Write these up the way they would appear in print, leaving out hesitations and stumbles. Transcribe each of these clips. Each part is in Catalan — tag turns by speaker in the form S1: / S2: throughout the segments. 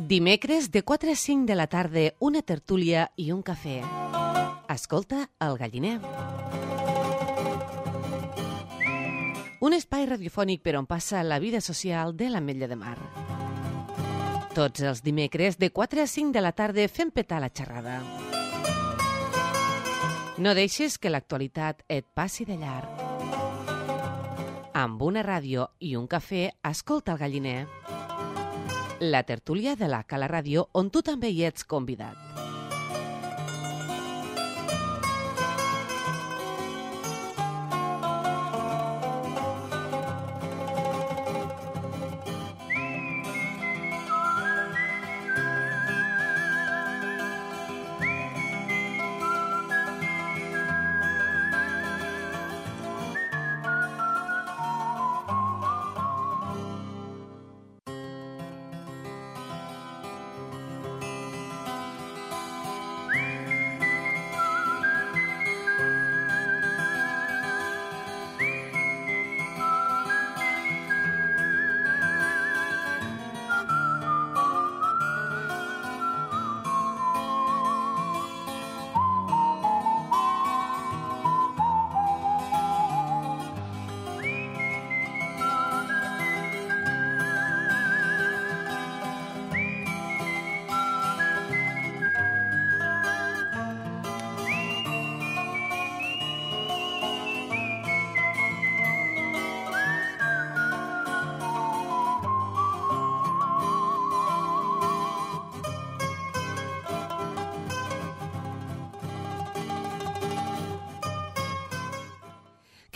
S1: Dimecres de 4 a 5 de la tarda, una tertúlia i un cafè. Escolta El Galliner. Un espai radiofònic per on passa la vida social de l'Ametlla de Mar. Tots els dimecres de 4 a 5 de la tarda fem petar la xerrada. No deixes que l'actualitat et passi de llarg. Amb una ràdio i un cafè, escolta El Galliner. La tertúlia de la Cala Ràdio, on tu també hi ets convidat.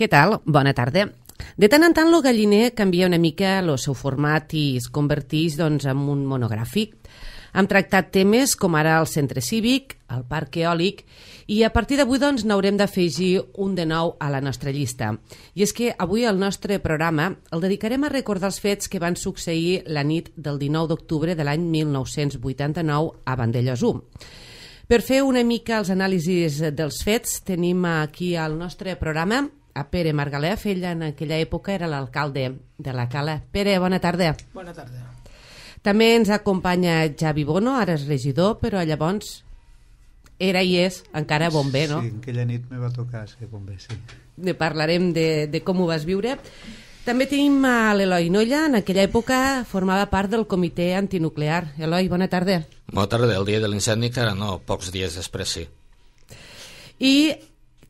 S1: Què tal? Bona tarda. De tant en tant, el Galliner canvia una mica el seu format i es converteix en un monogràfic. Hem tractat temes com ara el centre cívic, el parc eòlic, i a partir d'avui n'haurem d'afegir un de nou a la nostra llista. I és que avui el nostre programa el dedicarem a recordar els fets que van succeir la nit del 19 d'octubre de l'any 1989 a Vandellòs 1. Per fer una mica els anàlisis dels fets, tenim aquí al nostre programa a Pere Margalef. Ell en aquella època era l'alcalde de la Cala. Pere, bona tarda.
S2: Bona tarda.
S1: També ens acompanya Javi Bono, ara és regidor, però llavors era i és encara bomber, no?
S3: Sí, aquella nit me va tocar ser bomber, sí.
S1: Parlarem de com ho vas viure. També tenim a l'Eloi Nolla, en aquella època formava part del comitè antinuclear. Eloi, bona tarda.
S4: Bona tarda, el dia de l'incendi, que ara no, pocs dies després, sí.
S1: I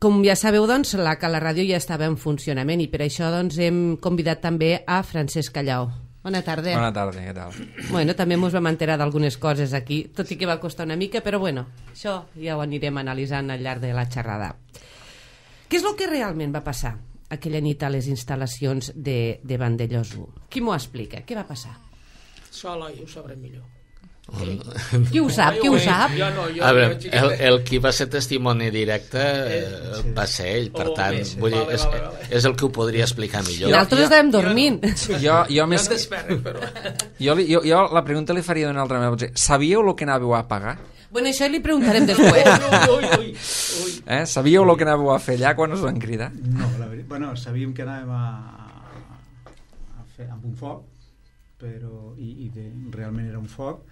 S1: com ja sabeu, doncs, la Cala Ràdio ja estava en funcionament i per això hem convidat també a Francesc Callau. Bona tarda.
S5: Bona tarda, què tal?
S1: Bueno, també ens vam enterar d'algunes coses aquí, tot i que va costar una mica, però bueno, això ja ho anirem analitzant al llarg de la xerrada. Què és el que realment va passar aquella nit a les instal·lacions de Vandellòs 1? Qui m'ho explica? Què va passar?
S2: Això Eloi ho sabré millor.
S1: Qui ho sap? Qui ho sap?
S4: A veure, el qui va ser testimoni directe va ser ell, per tant, vull dir, és el que ho podria explicar millor.
S1: Nosaltres estàvem dormint.
S5: Jo més... Jo la pregunta li faria d'una altra manera. Sabíeu el que anàveu a pagar?
S1: Bueno, això li preguntarem després.
S5: Sabíeu el que anàveu a fer allà quan us van cridar?
S3: No, la veritat, bueno, sabíem que anàvem a fer amb un foc, però realment era un foc.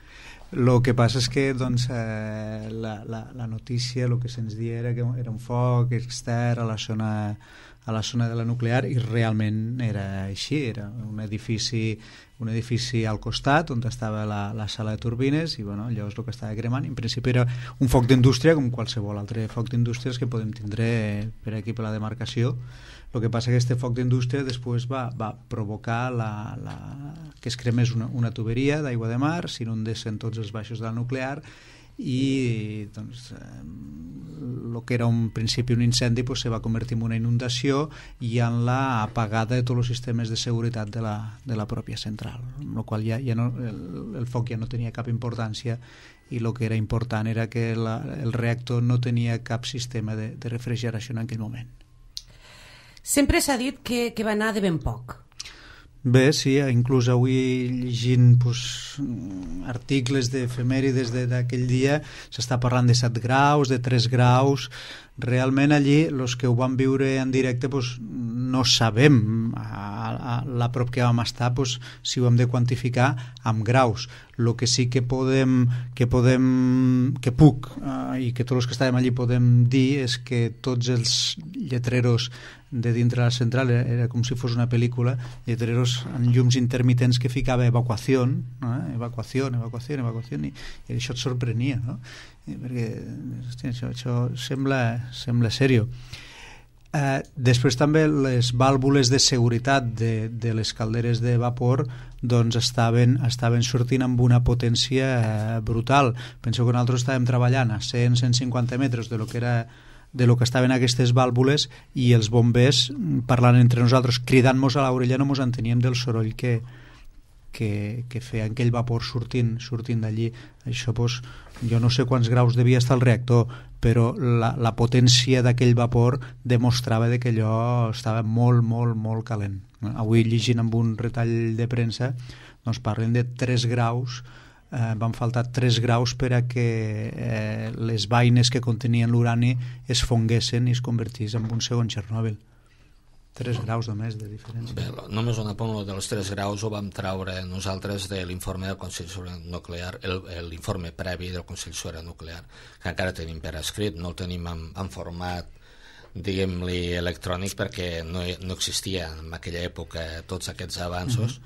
S3: El que passa és que doncs, la notícia, el que se'ns dia era que era un foc extern a la zona de la nuclear, i realment era així. Era un edifici al costat on estava la sala de turbines, i bueno, allò és el que estava cremant. En principi era un foc d'indústria com qualsevol altre foc d'indústries que podem tindre per aquí per la demarcació. El que passa és que aquest foc d'indústria després va provocar que es cremés una tuberia d'aigua de mar, s'inundessin tots els baixos de la nuclear, i doncs, el que era un principi un incendi se va convertir en una inundació i en la apagada de tots els sistemes de seguretat de la pròpia central, amb la qual el foc ja no tenia cap importància, i el que era important era que el reactor no tenia cap sistema de refrigeració en aquell moment.
S1: Sempre s'ha dit que va anar de ben poc.
S3: Bé, sí, inclús avui llegint articles d'efemèrides d'aquell dia s'està parlant de 7 graus, de 3 graus. Realment allí els que ho van viure en directe no sabem a la prop que vam estar, doncs, si ho hem de quantificar amb graus. El que sí que puc i que tots els que estàvem allí podem dir és que tots els lletreros de dintre la central, era com si fos una pel·lícula, lletreros en llums intermitents que ficava evacuació, evacuació, i això et sorprenia, no? Perquè hòstia, això sembla sèrio. Després també les vàlvules de seguretat de les calderes de vapor doncs estaven sortint amb una potència brutal. Penseu que nosaltres estàvem treballant a 100-150 metres de lo que estaven aquestes vàlvules i els bombers parlant entre nosaltres, cridant-nos a l'orella, no mos enteníem del soroll que feia aquell vapor sortint d'allí. Això, doncs, jo no sé quants graus devia estar el reactor, però la potència d'aquell vapor demostrava que allò estava molt, molt, molt calent. Avui, llegint amb un retall de premsa, doncs parlen de 3 graus, van faltar 3 graus per a que les vaines que contenien l'urani es fonguessin i es convertís en un segon Txernòbil. 3 graus només de diferència.
S4: Bé, només un apunt dels 3 graus ho vam traure nosaltres de l'informe del Consell Superior Nuclear, l'informe previ del Consell Superior Nuclear, que encara tenim per escrit, no el tenim en format, diguem-li, electrònic, perquè no existia en aquella època tots aquests avanços,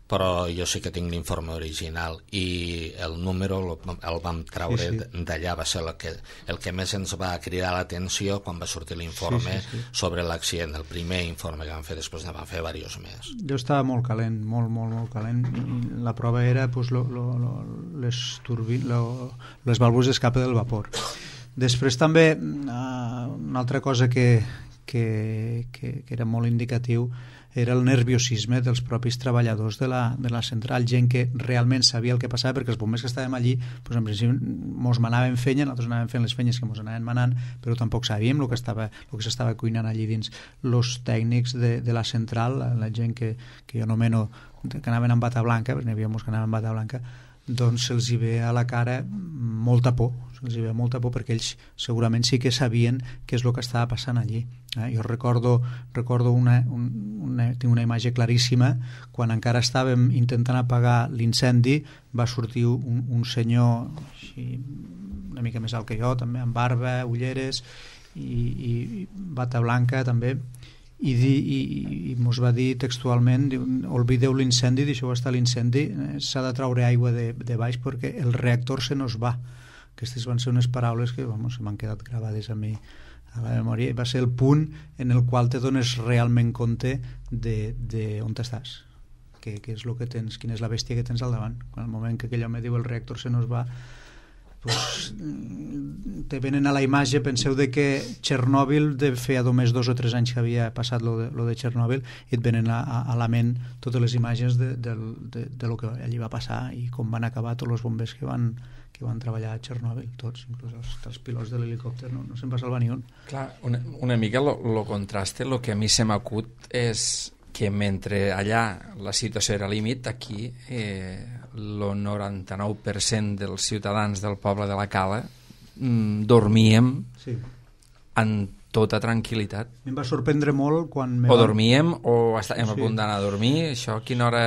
S4: però jo sí que tinc l'informe original i el número el vam traure d'allà. Va ser el que més ens va cridar l'atenció quan va sortir l'informe sobre l'accident, el primer informe que vam fer. Després ne vam fer diversos més.
S3: Jo estava molt calent, molt calent, i la prova era pues, les vàlvules d'escape del vapor. Després també una altra cosa que era molt indicatiu era el nerviosisme dels propis treballadors de la central, gent que realment sabia el que passava, perquè els bombers que estàvem allí doncs en principi mos manaven fenya, nosaltres anàvem fent les fenyes que mos anaven manant, però tampoc sabíem el que s'estava cuinant allí dins. Los tècnics de la central, la gent que jo anomeno que anaven amb bata blanca, perquè n'hi havia molts que anaven amb bata blanca, doncs se'ls hi ve a la cara molta por, perquè ells segurament sí que sabien què és el que estava passant allí. Jo recordo tinc una imatge claríssima, quan encara estàvem intentant apagar l'incendi, va sortir un senyor així, una mica més alt que jo, també amb barba, ulleres i bata blanca també, i mos va dir textualment, oblideu l'incendi, deixeu estar l'incendi, s'ha de traure aigua de baix perquè el reactor se nos va. Aquestes van ser unes paraules que se m'han quedat gravades a mi a la memòria, i va ser el punt en el qual te dones realment compte d'on estàs, què és el que tens, quina és la bèstia que tens al davant. Quan el moment que aquell home diu el reactor se nos va, pues, te venen a la imatge, penseu de que Txernòbil feia només 2 o 3 anys que havia passat lo de Txernòbil, i et venen a la ment totes les imatges de lo que allí va passar i com van acabar tots els bombers que van treballar a Txernòbil, tots, inclús els pilots de l'helicòpter, no se'n va salvar ni un.
S5: Clar, una mica lo contraste, el que a mi se m'acut és que mentre allà la situació era límit, aquí el 99% dels ciutadans del poble de la Cala dormíem en tota tranquil·litat.
S3: Em va sorprendre molt quan...
S5: dormíem o estàvem a punt d'anar a dormir. Això a quina hora...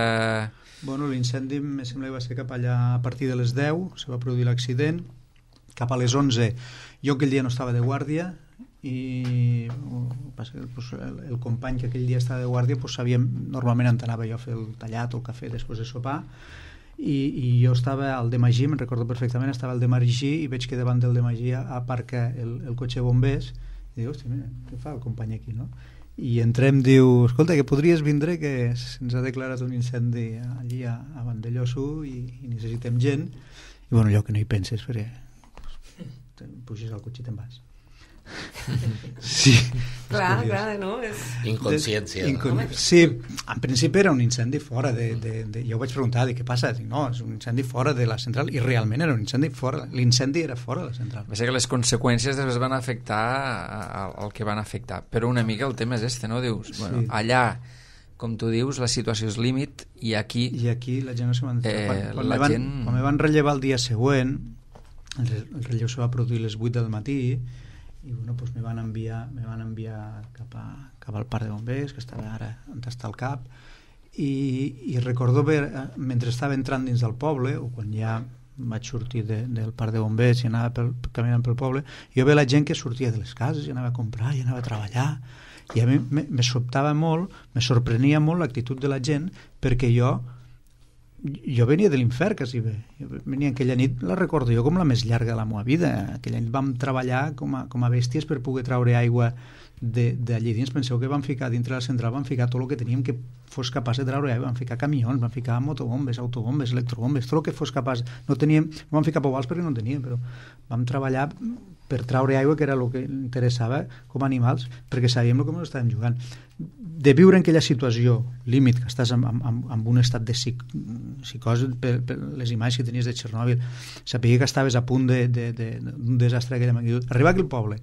S3: Bueno, l'incendi em sembla que va ser cap allà a partir de les 10, se va produir l'accident, cap a les 11 jo aquell dia no estava de guàrdia, i el company que aquell dia estava de guàrdia sabíem, normalment anava jo a fer el tallat o el cafè després de sopar, i jo estava al de Magí, me'n recordo perfectament, estava al de Magí i veig que davant del de Magí aparca el cotxe bombers, i dic, hòstia, mira, què fa el company aquí, no? I entrem, diu, escolta, que podries vindre, que se'ns ha declarat un incendi allí a Vandellòs i necessitem gent, i bueno, allò que no hi penses, perquè puges al cotxe i te'n vas. Sí,
S1: clar, no?
S4: Inconsciència.
S3: Sí, en principi era un incendi fora jo vaig preguntar què passa, dic, no, és un incendi fora de la central, i realment era un incendi fora, l'incendi era fora de la central.
S5: Va ser que les conseqüències després van afectar el que van afectar, però una mica el tema és no? Dius, bueno, allà, com tu dius, la situació és límit, i aquí
S3: la gent no se m'entén. Quan me van rellevar el dia següent, el relleu se va produir a les 8 del matí, i bueno, doncs me van enviar cap al parc de bombers, que estava ara on està el cap, i recordo mentre estava entrant dins del poble, o quan ja vaig sortir del parc de bombers i anava caminant pel poble, jo veia la gent que sortia de les cases i anava a comprar i anava a treballar, i a mi me sobtava molt, me sorprenia molt l'actitud de la gent, perquè jo venia de l'infern quasi bé. Jo venia aquella nit, la recordo jo com la més llarga de la meva vida. Aquella nit vam treballar com a bèsties per poder treure aigua d'allí dins. Penseu que vam ficar dintre la central, vam ficar tot el que teníem que fos capaç de treure aigua, vam ficar camions, vam ficar motobombes, autobombes, electrobombes, tot el que fos capaç. No vam ficar pobals perquè no en teníem, però vam treballar per treure aigua, que era el que interessava com a animals, perquè sabíem el que ens estàvem jugant. De viure en aquella situació límit, que estàs en un estat de psicosi per les imatges que tenies de Txernòbil, saber que estaves a punt d'un desastre d'aquella magnitud, arribar aquí al poble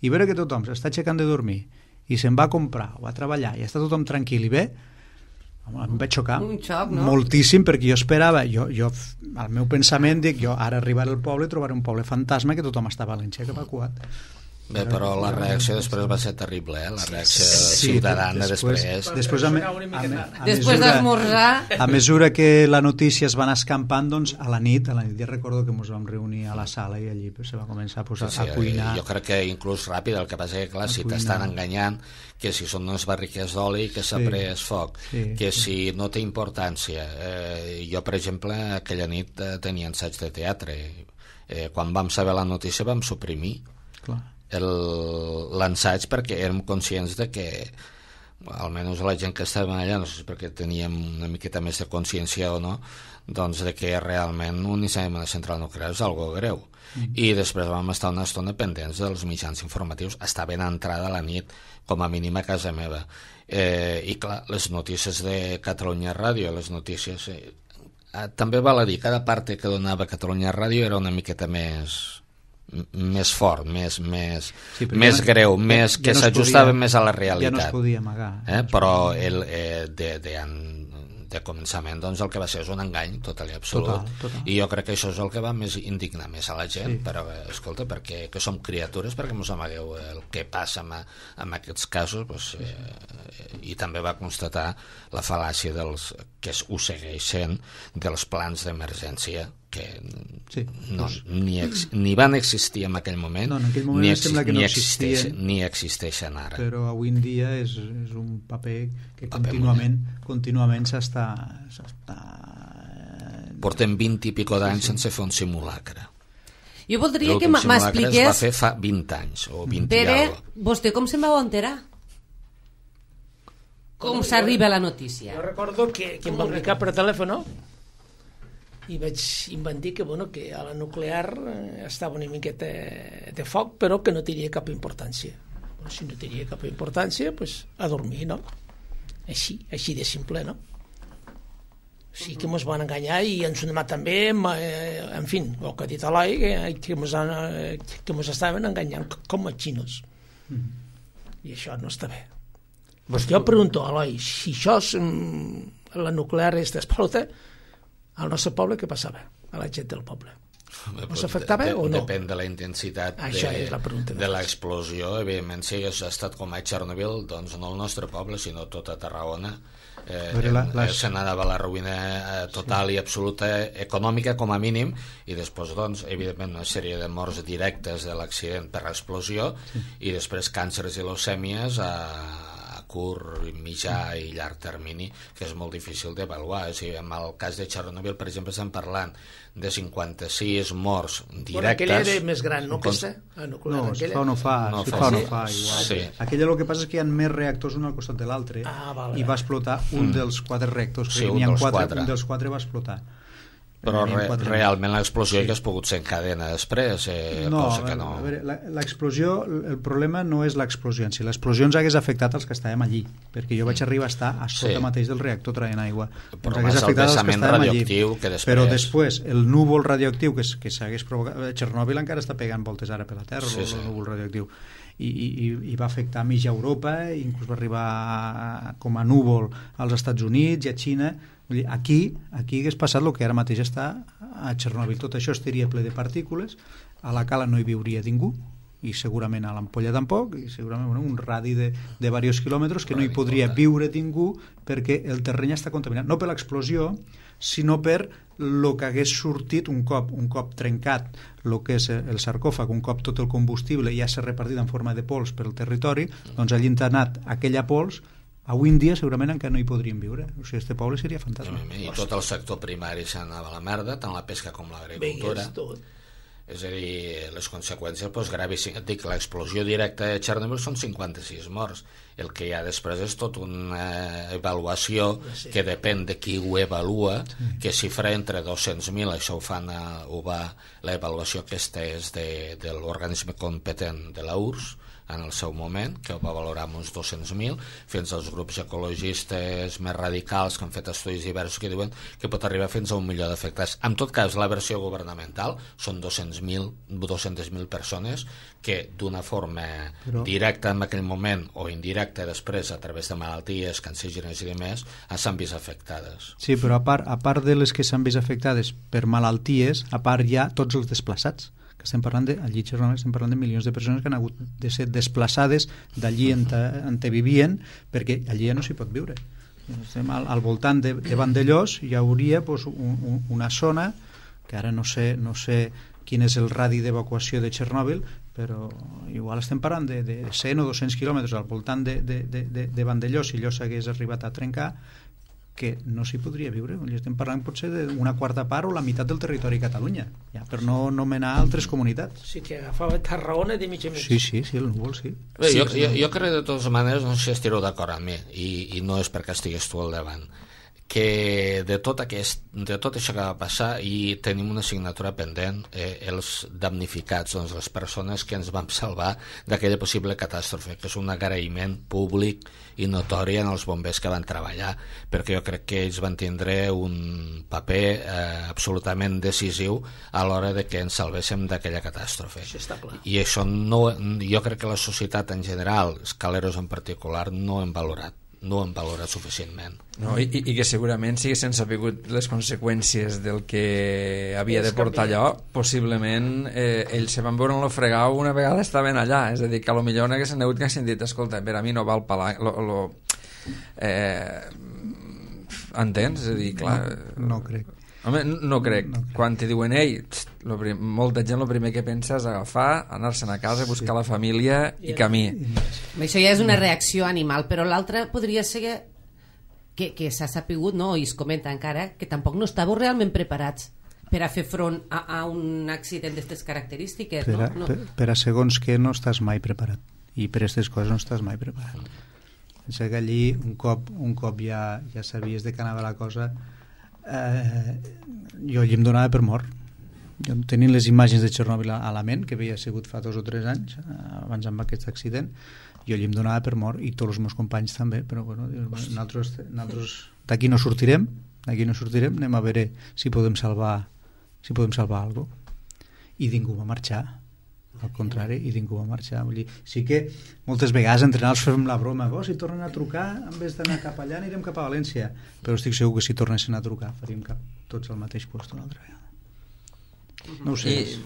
S3: i veure que tothom s'està aixecant de dormir i se'n va a comprar o a treballar i està tothom tranquil i bé, em vaig xocar moltíssim, perquè jo esperava, al meu pensament dic, jo ara arribaré al poble i trobaré un poble fantasma que tothom està valencià cap a Cuat.
S4: Bé, però la reacció després va ser terrible, la reacció ciutadana després.
S1: Després d'esmorzar...
S3: A mesura que la notícia es va anar escampant, doncs a la nit ja recordo que ens vam reunir a la sala i allí se va començar a cuinar.
S4: Jo crec que inclús ràpid, el que passa que clar, si t'estan enganyant, que si són unes barriques d'oli, que s'ha pres foc, que si no té importància. Jo, per exemple, aquella nit tenia ensaig de teatre. Quan vam saber la notícia vam suprimir l'ensaig perquè érem conscients de que, almenys la gent que estàvem allà, no sé si perquè teníem una miqueta més de consciència o no, doncs de que realment un incendi a la central nuclear és algo greu. I després vam estar una estona pendents dels mitjans informatius, està ben entrada a la nit, com a mínim a casa meva. I clar, les notícies de Catalunya Ràdio, les notícies... també val a dir, cada part que donava Catalunya Ràdio era una miqueta més fort, més greu, més que s'ajustava més a la realitat.
S3: Ja no es podia amagar.
S4: Però de començament doncs el que va ser és un engany total i absolut. Total. I jo crec que això és el que va més indignar més a la gent, però escolta, perquè que som criatures, perquè mos amagueu el que passa en aquests casos, doncs, i també va constatar la fal·làcia ho segueix sent, dels plans d'emergència que ni van existir en aquell moment, ni existeixen ara.
S3: Però avui en dia és un paper que contínuament s'està...
S4: Portem 20 i pico d'anys sense fer un simulacre.
S1: Jo voldria que m'expliqués...
S4: Es va fer fa 20 anys o 20
S1: Pere,
S4: i alguna.
S1: vostè com se'n va enterar? Com s'arriba la notícia?
S2: Jo recordo que em van clicar per telèfon i vaig inventar que a la nuclear estava una miqueta de foc, però que no tenia cap importància. Si no tenia cap importància, doncs a dormir, no? Així de simple, no? Sí que ens van enganyar i ens han demanat també, en fi, el que ha dit Eloi, que ens estaven enganyant com a xinos. I això no està bé. Jo pregunto, Eloi, si això és la nuclear d'Espalota, al nostre poble què passava? A la gent del poble. Us afectava o no?
S4: Depèn de la intensitat de l'explosió. Evidentment, si hagués estat com a Txernòbil, doncs no el nostre poble, sinó tota Tarragona, se n'anava a la ruïna total i absoluta econòmica com a mínim, i després, doncs, evidentment, una sèrie de morts directes de l'accident per l'explosió, i després càncers i leucèmies a curt, mitjà i llarg termini, que és molt difícil d'avaluar. En el cas de Txernòbil, per exemple, estem parlant de 56 morts directes.
S2: Aquella era més gran, no?
S3: No, no fa igual. Aquella el que passa és que hi ha més reactors un al costat de l'altre, i va explotar un dels 4 reactors, que n'hi ha 4, un dels 4 va explotar.
S4: Però realment l'explosió hauria pogut ser en cadena després, cosa que no...
S3: A veure, l'explosió, el problema no és l'explosió en si. L'explosió ens hagués afectat als que estàvem allí, perquè jo vaig arribar a estar a sota mateix del reactor traient aigua.
S4: Però més el vessament radioactiu que després...
S3: Però després, el núvol radioactiu que s'hagués provocat... Txernòbil encara està pegant voltes ara per la Terra, el núvol radioactiu. I va afectar mitja Europa, inclús va arribar com a núvol als Estats Units i a Xina. Aquí hagués passat el que ara mateix està a Txernòbil. Tot això estaria ple de partícules, a la cala no hi viuria ningú, i segurament a l'Ampolla tampoc, i segurament un radi de diversos quilòmetres que no hi podria viure ningú perquè el terreny està contaminat, no per l'explosió, sinó per el que hagués sortit un cop trencat el que és el sarcòfag, un cop tot el combustible ja s'ha repartit en forma de pols per el territori, doncs allí ha anat aquella pols. Avui en dia segurament encara no hi podríem viure, o sigui, este poble seria fantàstic.
S4: I tot el sector primari s'anava a la merda, tant la pesca com l'agricultura. És a dir, les conseqüències gravíssimes. Dic, l'explosió directa de Chernobyl són 56 morts. El que hi ha després és tota una avaluació que depèn de qui ho avalua, que xifra entre 200.000, això ho va l'avaluació aquesta és de l'organisme competent de la URSS en el seu moment, que ho va valorar amb uns 200.000, fins als grups ecologistes més radicals que han fet estudis diversos que diuen que pot arribar fins a 1 milió d'afectats. En tot cas, la versió governamental són 200.000 persones que d'una forma directa en aquell moment o indirecta després a través de malalties, cancerígenes i demés, s'han vist afectades.
S3: Sí, però a part de les que s'han vist afectades per malalties, a part hi ha tots els desplaçats, que estem parlant allí a Chernobyl estem parlant de milions de persones que han hagut de ser desplaçades d'allí on vivien, perquè allí ja no s'hi pot viure. Estem al voltant de Vandellós, hi hauria una zona que ara no sé quin és el radi d'evacuació de Chernobyl, però igual estem parlant de 100 o 200 quilòmetres al voltant de Vandellós, si allò s'hagués arribat a trencar, que no s'hi podria viure. Estem parlant potser d'una quarta part o la meitat del territori de Catalunya, ja, per no anomenar altres comunitats.
S2: Sí, que agafava Tarragona de mig a mig.
S3: Sí, el núvol, sí.
S4: Bé, jo crec de totes maneres, no sé si estireu d'acord amb mi, i no és perquè estigués tu al davant, que de tot això que va passar i tenim una assignatura pendent, els damnificats, doncs les persones que ens vam salvar d'aquella possible catàstrofe, que és un agraïment públic i notori en els bombers que van treballar, perquè jo crec que ells van tindre un paper absolutament decisiu a l'hora de que ens salvéssim d'aquella catàstrofe.
S2: Això està clar.
S4: I això jo crec que la societat en general, Scaleros en particular, no hem valorat suficientment.
S5: No, i que segurament si haguessin sabut les conseqüències del que havia de portar allò, possiblement ells se van veure en lo fregau una vegada estaven allà, és a dir, que a lo millor no haguessin hagut que sentit, escolta, per a mi no val palar entens? És a dir, clar...
S3: No crec.
S5: Home, no crec. Quan te diuen molta gent el primer que pensa és agafar, anar-se'n a casa, buscar la família i camí.
S1: Això ja és una reacció animal, però l'altra podria ser que s'ha sapigut, no? I es comenta encara que tampoc no estàveu realment preparats per a fer front a un accident d'aquestes característiques, no?
S3: Per a segons que no estàs mai preparat, i per aquestes coses no estàs mai preparat. Pensa que allí un cop ja sabies de què anava la cosa, jo allí em donava per mort. Jo tenint les imatges de Chernobyl a la ment, que havia sigut fa 2 o 3 anys abans amb aquest accident, jo allí em donava per mort, i tots els meus companys també, però bueno, nosaltres d'aquí no sortirem, anem a veure si podem salvar alguna cosa. I ningú va marxar, al contrari, i ningú va marxar. Vull dir, sí que moltes vegades entre nosaltres fem la broma, si tornen a trucar, en vez d'anar cap allà anirem cap a València, però estic segur que si tornessin a trucar faríem tots al mateix lloc una altra vegada. No ho sé, és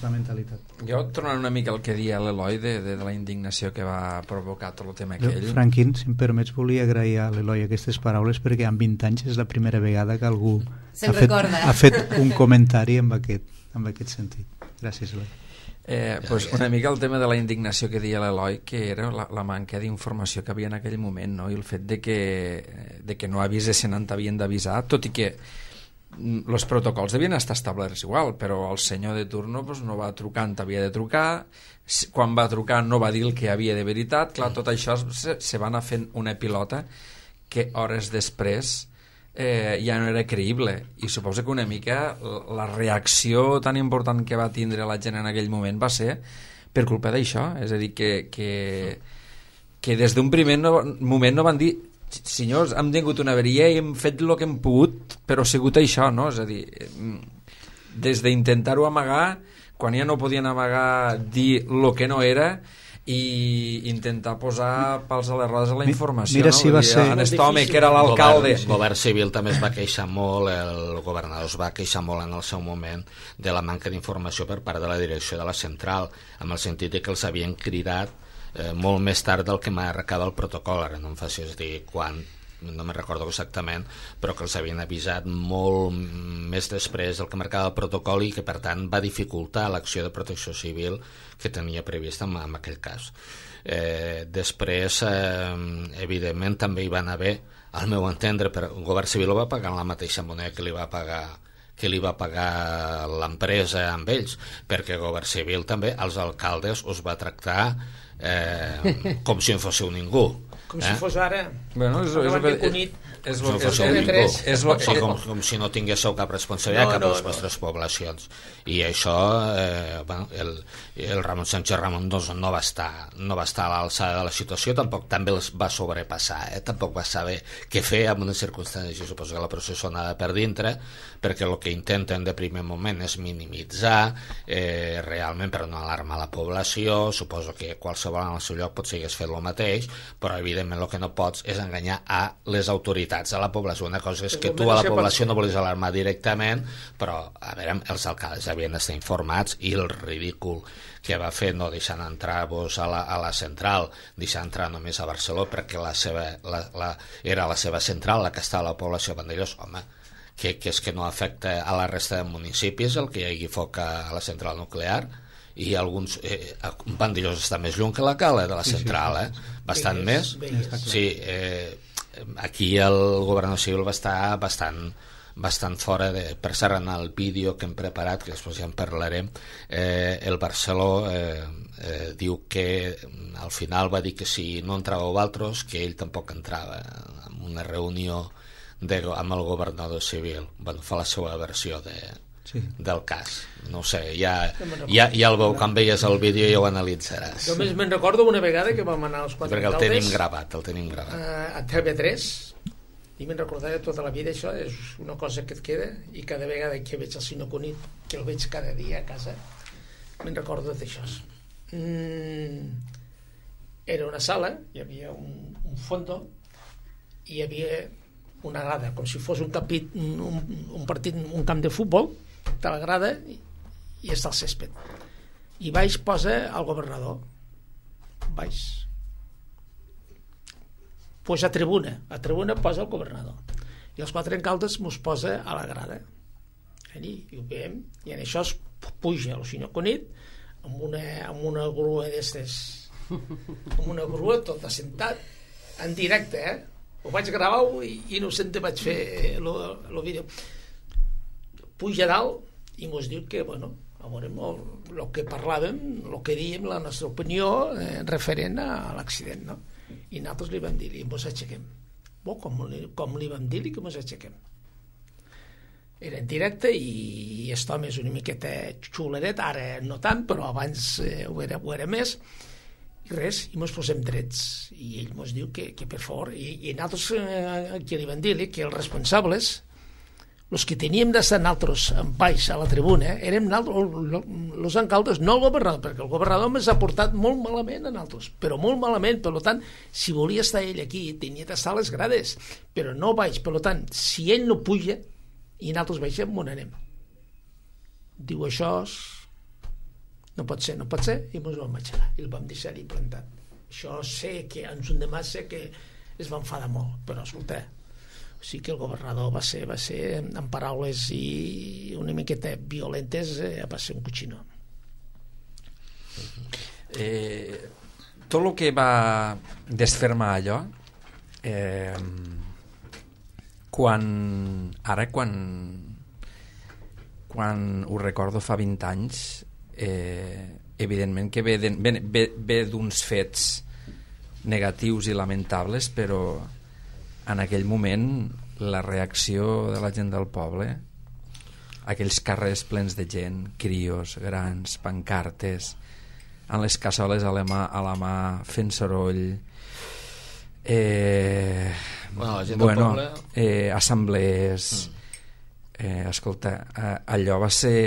S3: la mentalitat.
S5: Jo, tornant una mica al que deia l'Eloi de la indignació que va provocar tot el tema aquell...
S3: Franquín, si em permets, volia agrair a l'Eloi aquestes paraules, perquè en 20 anys és la primera vegada que algú ha fet un comentari amb aquest sentit. Gràcies, Eloi.
S5: Pues una mica el tema de la indignació que deia l'Eloi, que era la manca d'informació que havia en aquell moment, no? I el fet de que no avisessin on havien d'avisar, tot i que els protocols devien estar establerts igual, però el senyor de turno no va trucar on havia de trucar, quan va trucar no va dir el que havia de veritat. Clar, tot això se va anar fent una pilota que hores després ja no era creïble, i suposo que una mica la reacció tan important que va tindre la gent en aquell moment va ser per culpa d'això. És a dir, que des d'un primer moment no van dir senyors, hem tingut una avaria i hem fet el que hem pogut, però ha sigut això, no? És a dir, des d'intentar-ho amagar, quan ja no podien amagar dir el que no era, i intentar posar pals a les rodes a la informació.
S3: Mira si va ser...
S5: En aquest home que era l'alcalde...
S4: El govern civil també es va queixar molt, el governador es va queixar molt en el seu moment de la manca d'informació per part de la direcció de la central, amb el sentit de que els havien cridat molt més tard del que marcava el protocol. Ara no em facis dir quan, no me'n recordo exactament, però que els havien avisat molt més després del que marcava el protocol i que per tant va dificultar l'acció de protecció civil que tenia prevista en aquell cas. Després evidentment també hi van haver, al meu entendre, el govern civil ho va pagar en la mateixa moneda que li va pagar l'empresa amb ells, perquè el govern civil també als alcaldes us va tractar com si en fóssiu ningú.
S2: Com si fos ara.
S5: Bueno,
S4: com si no tinguéssiu cap responsabilitat cap a les vostres poblacions. I això el Ramon Sánchez Ramon no va estar a l'alçada de la situació, tampoc també els va sobrepassar, tampoc va saber què fer en unes circumstàncies. Jo suposo que la processó anava per dintre, perquè el que intenten de primer moment és minimitzar realment per no alarmar la població. Suposo que qualsevol en el seu lloc potser hagués fet el mateix, però evidentment el que no pots és enganyar a les autoritats, a la població. Una cosa és que tu a la població no volis alarmar directament, però a veure, els alcaldes havien d'estar informats, i el ridícul que va fer no deixant entrar vos a la central, deixant entrar només a Barcelona perquè era la seva central la que estava a la població de Vandellós. Home, que és que no afecta a la resta de municipis el que hi hagi foc a la central nuclear, i alguns Vandellós està més lluny que la cala de la central, bastant més. Sí, aquí el governador civil va estar bastant fora de... Per cert, en el vídeo que hem preparat, que després ja en parlarem, el Barceló diu que al final va dir que si no entràveu altres, que ell tampoc entrava en una reunió amb el governador civil. Fa la seva versió del cas. No ho sé, ja el veu, quan veies el vídeo ja ho analitzaràs.
S2: Només me'n recordo una vegada que vam anar als quatre
S4: alcaldes, perquè el tenim gravat
S2: a TV3, i me'n recordaré tota la vida. Això és una cosa que et queda, i cada vegada que veig el senyor Cunit, que el veig cada dia a casa, me'n recordo d'això. Era una sala, hi havia un fondo, i hi havia una grada, com si fos un partit, un camp de futbol, de la grada, i està el césped, i baix posa el governador, baix, pues a tribuna posa el governador, i els quatre alcaldes mos posa a la grada, i ho veiem, i en això es puja el senyor Cunit amb una grua d'estes, amb una grua tot assentat en directe, ho vaig gravar i no sé, vaig fer el vídeo. Puja dalt i mos diu que, bueno, a veure, el que parlàvem, el que dèiem, la nostra opinió referent a l'accident, no? I nosaltres li vam dir, i mos aixequem. Com li vam dir que mos aixequem. Era en directe, i aquest home és una miqueta xuleret, ara no tant, però abans ho era més, i res, i mos posem drets, i ell mos diu que per favor, i nosaltres que li vam dir que els responsables, els que teníem d'estar nosaltres en baix a la tribuna, érem els alcaldes, no el governador, perquè el governador ens ha portat molt malament a nosaltres, però molt malament. Per tant, si volia estar ell aquí, tenia d'estar a les grades, però no baix. Per tant, si ell no puja i nosaltres baixem, on anem? Diu, això no pot ser, i ens vam aixecar i el vam deixar-hi plantat. Això sé que en un demà sé que es va enfadar molt, però escolta, sí que el governador va ser en paraules i una miqueta violentes, va ser un coixinó.
S5: Tot el que va desfermar allò, quan ho recordo fa 20 anys, evidentment que ve d'uns fets negatius i lamentables, però en aquell moment la reacció de la gent del poble, aquells carrers plens de gent, crios, grans, pancartes, amb les cassoles a la mà fent soroll,
S4: la gent del poble,
S5: assemblees, escolta, allò va ser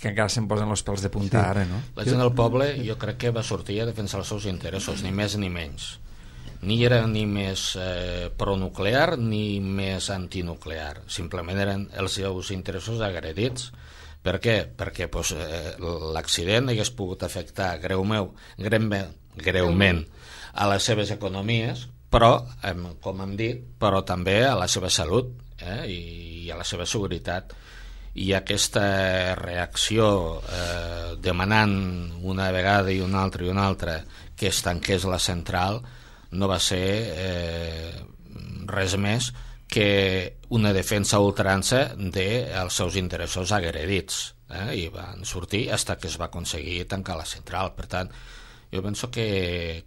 S5: que encara se'm posen els pèls de punta ara, no?
S4: La gent del poble jo crec que va sortir a defensar els seus interessos, ni més ni menys. Ni era ni més pronuclear ni més antinuclear, simplement eren els seus interessos agredits. Per què? Perquè l'accident hagués pogut afectar greument a les seves economies, però, com hem dit, però també a la seva salut i a la seva seguretat. I aquesta reacció demanant una vegada i una altra que es tanqués la central no va ser res més que una defensa a ultrança dels seus interessos agredits, i van sortir fins que es va aconseguir tancar la central. Per tant, jo penso que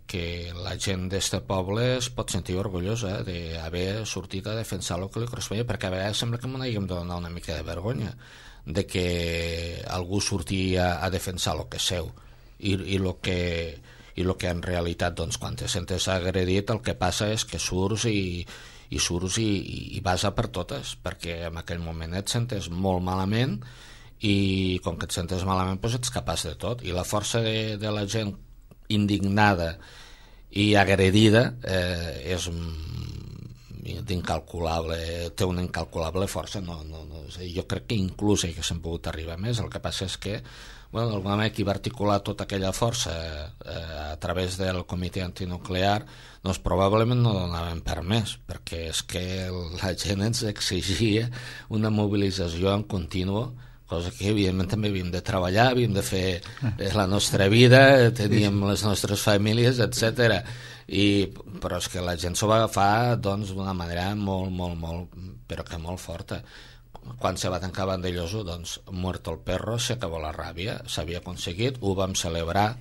S4: la gent d'este poble es pot sentir orgullosa d'haver sortit a defensar el que li corresponia, perquè a vegades sembla que m'ho haguem de donar una mica de vergonya de que algú sortia a defensar el que és seu i el que en realitat, doncs, quan te sentes agredit, el que passa és que surts i vas a per totes, perquè en aquell moment et sentes molt malament i com que et sentes malament doncs ets capaç de tot, i la força de la gent indignada i agredida és incalculable, té una incalculable força. Jo crec que inclús haguéssim pogut arribar més. El que passa és que d'alguna manera qui va articular tota aquella força a través del comitè antinuclear doncs probablement no donaven per més, perquè és que la gent ens exigia una mobilització en continu, cosa que evidentment també havíem de treballar, havíem de fer la nostra vida, teníem les nostres famílies, etc. Però és que la gent s'ho va agafar d'una manera molt, però que molt forta. Quan se va tancar Vandellós, doncs, muerto el perro, se acabó la ràbia, s'havia aconseguit, ho vam celebrar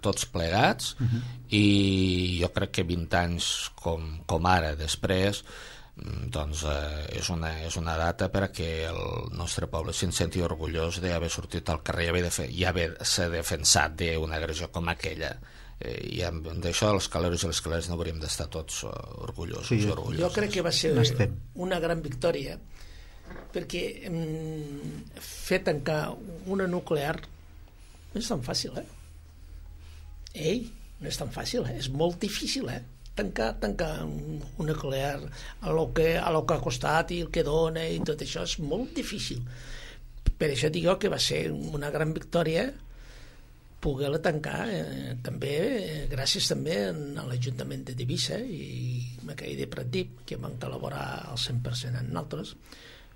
S4: tots plegats, i jo crec que 20 anys com ara, després, doncs és una data perquè el nostre poble se'n senti orgullós d'haver sortit al carrer i haver-se defensat d'una agressió com aquella, i d'això els caleros i les caleres no hauríem d'estar tots orgullosos.
S2: Jo crec que va ser una gran victòria, perquè fer tancar una nuclear no és tan fàcil, no és tan fàcil, és molt difícil, tancar un nuclear a lo que ha costat i el que dona i tot això és molt difícil. Per això dic que va ser una gran victòria poder-la tancar, també gràcies també a l'Ajuntament de Tivissa i aquell de Pratdip, que van col·laborar al 100% en nosaltres,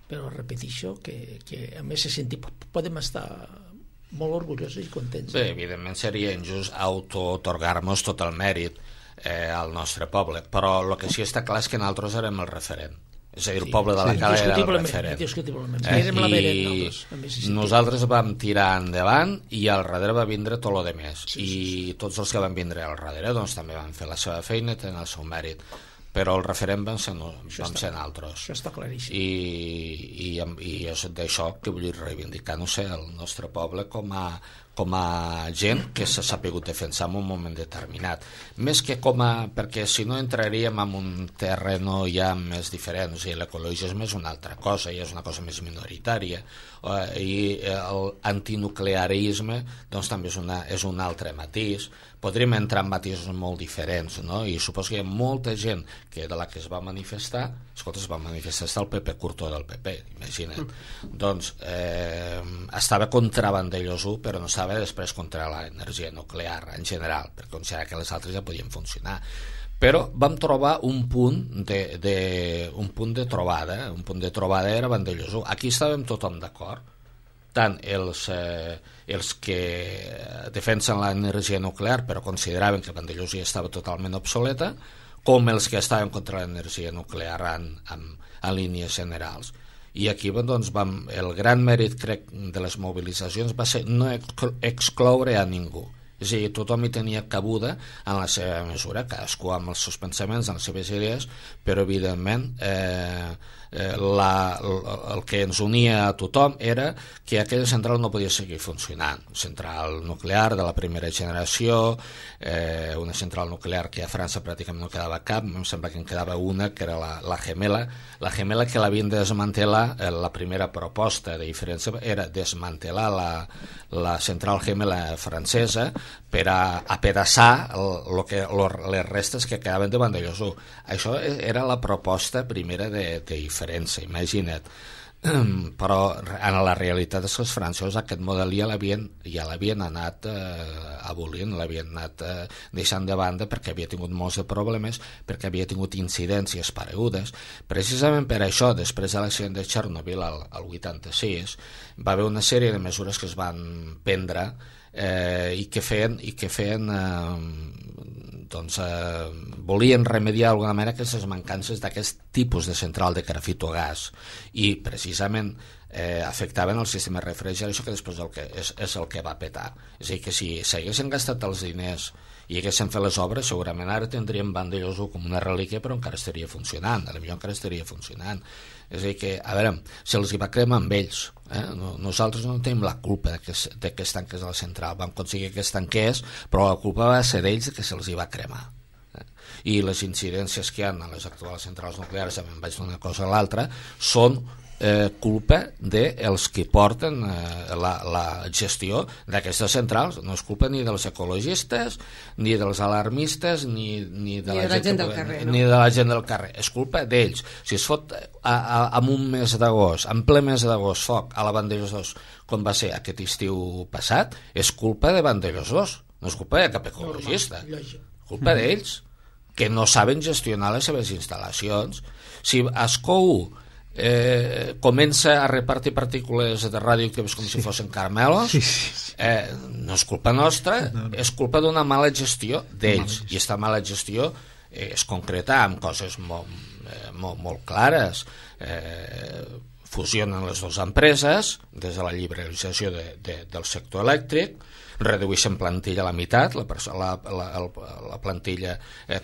S2: però repeteixo que a més podem estar molt orgullosos i contents.
S4: Bé, evidentment seria injust auto-otorgar-nos tot el mèrit al nostre poble, però el que sí està clar és que nosaltres érem el referent, és a dir, el poble de la Cala era el referent, i nosaltres vam tirar endavant i al darrere va vindre tot el demés, i tots els que van vindre al darrere doncs també van fer la seva feina i tenen el seu mèrit, però el referent vam ser nosaltres.
S2: Això està claríssim.
S4: I és d'això que vull reivindicar, no sé, el nostre poble com a gent que s'ha sapigut defensar en un moment determinat, més que perquè si no entraríem en un terreno ja més diferent, o sigui, l'ecologisme és una altra cosa i és una cosa més minoritària, i l'antinuclearisme doncs també és un altre matís. Podríem entrar en matisos molt diferents, no? I suposo que hi ha molta gent de la que es va manifestar, escolta, es va manifestar el Pepe Curto del PP, imagina't. Doncs estava contra Vandellós 1, però no estava després contra l'energia nuclear en general, perquè considerava que les altres ja podien funcionar. Però vam trobar un punt de trobada, un punt de trobada era Vandellós 1. Aquí estàvem tothom d'acord, tant els que defensen l'energia nuclear però consideraven que Vandellós ja estava totalment obsoleta, com els que estaven contra l'energia nuclear en línies generals. I aquí doncs, el gran mèrit, crec, de les mobilitzacions va ser no excloure a ningú, És a dir, tothom hi tenia cabuda en la seva mesura, cadascú amb els seus pensaments, amb les seves idees, però evidentment el que ens unia a tothom era que aquella central no podia seguir funcionant. Central nuclear de la primera generació, una central nuclear que a França pràcticament no quedava cap, em sembla que en quedava una, que era la Gemela que l'havien de desmantelar. La primera proposta de diferència era desmantelar la central Gemela francesa per a apedaçar les restes que quedaven de Vandellòs 1. Això era la proposta primera de diferència, imagina't. Però en la realitat és que els francesos aquest model ja l'havien anat abolint, l'havien anat deixant de banda perquè havia tingut molts de problemes, perquè havia tingut incidències paregudes. Precisament per això, després de l'accident de Chernobyl al 86, va haver una sèrie de mesures que es van prendre i que feien volien remediar d'alguna manera aquestes mancances d'aquest tipus de central de grafito gas, i precisament afectaven el sistema de refrigeració, que després és el que va petar. És a dir, que si s'haguessin gastat els diners i haguessin fet les obres, segurament ara tindríem Vandellòs 1 com una relíquia, però encara estaria funcionant, potser encara estaria funcionant. És a dir, que, a veure, se'ls hi va cremar amb ells. Nosaltres no tenim la culpa de que es tanqués la central, vam aconseguir que es tanqués, però la culpa va ser d'ells que se'ls hi va cremar. I les incidències que hi ha a les actuals centrals nuclears, me'n vaig d'una cosa a l'altra, són culpa dels que porten la gestió d'aquestes centrals. No és culpa ni dels ecologistes, ni dels alarmistes, ni de la gent del carrer, no? Ni de la gent del carrer. És culpa d'ells. Si es fot en un mes d'agost, en ple mes d'agost, foc a la Vandellòs 2, com va ser aquest estiu passat, és culpa de Vandellòs 2, no és culpa de cap ecologista. Culpa d'ells, que no saben gestionar les seves instal·lacions. Si Ascou comença a repartir partícules de radioactives com si fossin caramelos, no és culpa nostra, és culpa d'una mala gestió d'ells, i aquesta mala gestió es concreta amb coses molt clares. Fusionen les dues empreses des de la liberalització del sector elèctric, redueixen plantilla a la meitat, la plantilla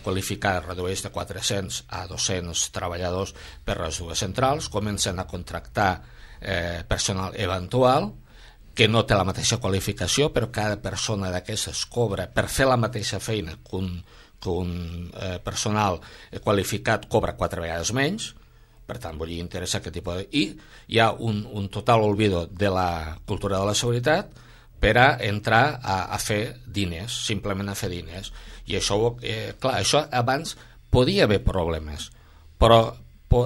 S4: qualificada redueix de 400 a 200 treballadors per les dues centrals, comencen a contractar personal eventual que no té la mateixa qualificació, però cada persona d'aquestes cobra per fer la mateixa feina que un personal qualificat cobra 4 vegades menys. Per tant, vull dir, interessa aquest tipus de... I hi ha un total olvido de la cultura de la seguretat per a entrar a fer diners, simplement a fer diners. I això, clar, això abans podia haver problemes, però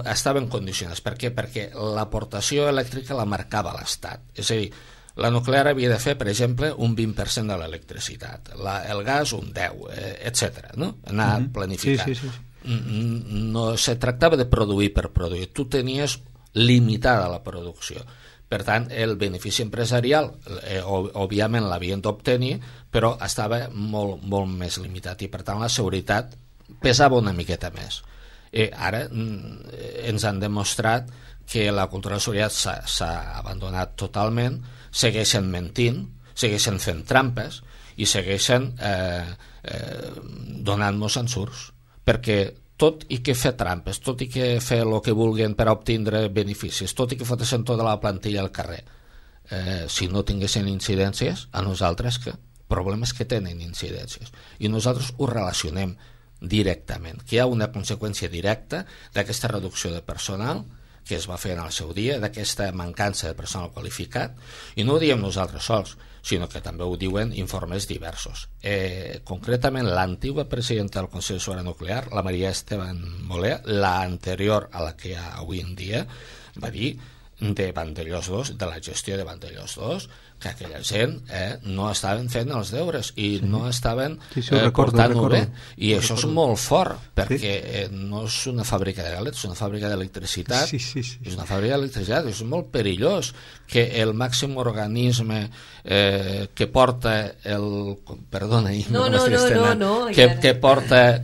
S4: estaven condicionats. Per què? Perquè l'aportació elèctrica la marcava l'Estat. És a dir, la nuclear havia de fer, per exemple, un 20% de l'electricitat, el gas un 10%, etc. No? Anar planificant. Sí. No se tractava de produir per produir, tu tenies limitada la producció. Per tant, el benefici empresarial òbviament l'havien d'obtenir, però estava molt, molt més limitat, i per tant la seguretat pesava una miqueta més. Ara ens han demostrat que la cultura de la seguretat s'ha abandonat totalment, segueixen mentint, segueixen fent trampes i segueixen donant-nos ensurts, perquè tot i que fer trampes, tot i que fer el que vulguin per obtindre beneficis, tot i que fotessin tota la plantilla al carrer, si no tinguessin incidències, a nosaltres problemes que tenen incidències, i nosaltres ho relacionem directament, que hi ha una conseqüència directa d'aquesta reducció de personal que es va fer en el seu dia, d'aquesta mancança de personal qualificat, i no ho diem nosaltres sols, sinó que també ho diuen informes diversos. Concretament, l'antiga presidenta del Consell de Seguretat Nuclear, la Maria Esteban Molé, la anterior a la que hi ha avui en dia, va dir de Vandellòs 2, de la gestió de Vandellòs 2, que aquella gent no estaven fent els deures i no estaven portant-ho bé, i això és molt fort, perquè no és una fàbrica de galets, és una fàbrica d'electricitat, és una fàbrica d'electricitat, és molt perillós que el màxim organisme que porta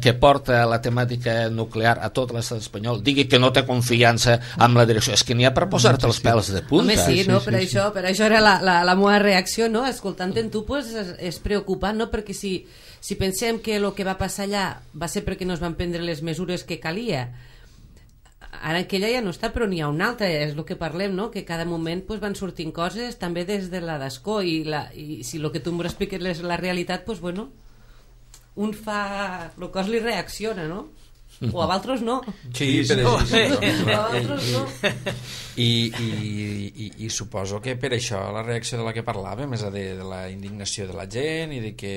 S4: que porta la temàtica nuclear a tot l'estat espanyol digui que no té confiança amb la direcció. És que n'hi ha per posar posar-te els pèls de punta.
S1: Home, sí, no? Per això era la meva reacció, no? Escoltant-en tu, pues, és preocupant, no? Perquè si pensem que el que va passar allà va ser perquè no es van prendre les mesures que calia, ara aquella ja no està, però n'hi ha una altra, és el que parlem, no? Que cada moment pues, van sortint coses també des de la d'escó i si el que tu m'expliques és la realitat, pues, bueno, un fa el cos li reacciona, no? O a altres no.
S5: Sí, però
S1: a altres no.
S5: I suposo que per això la reacció de la que parlàvem és de la indignació de la gent i de que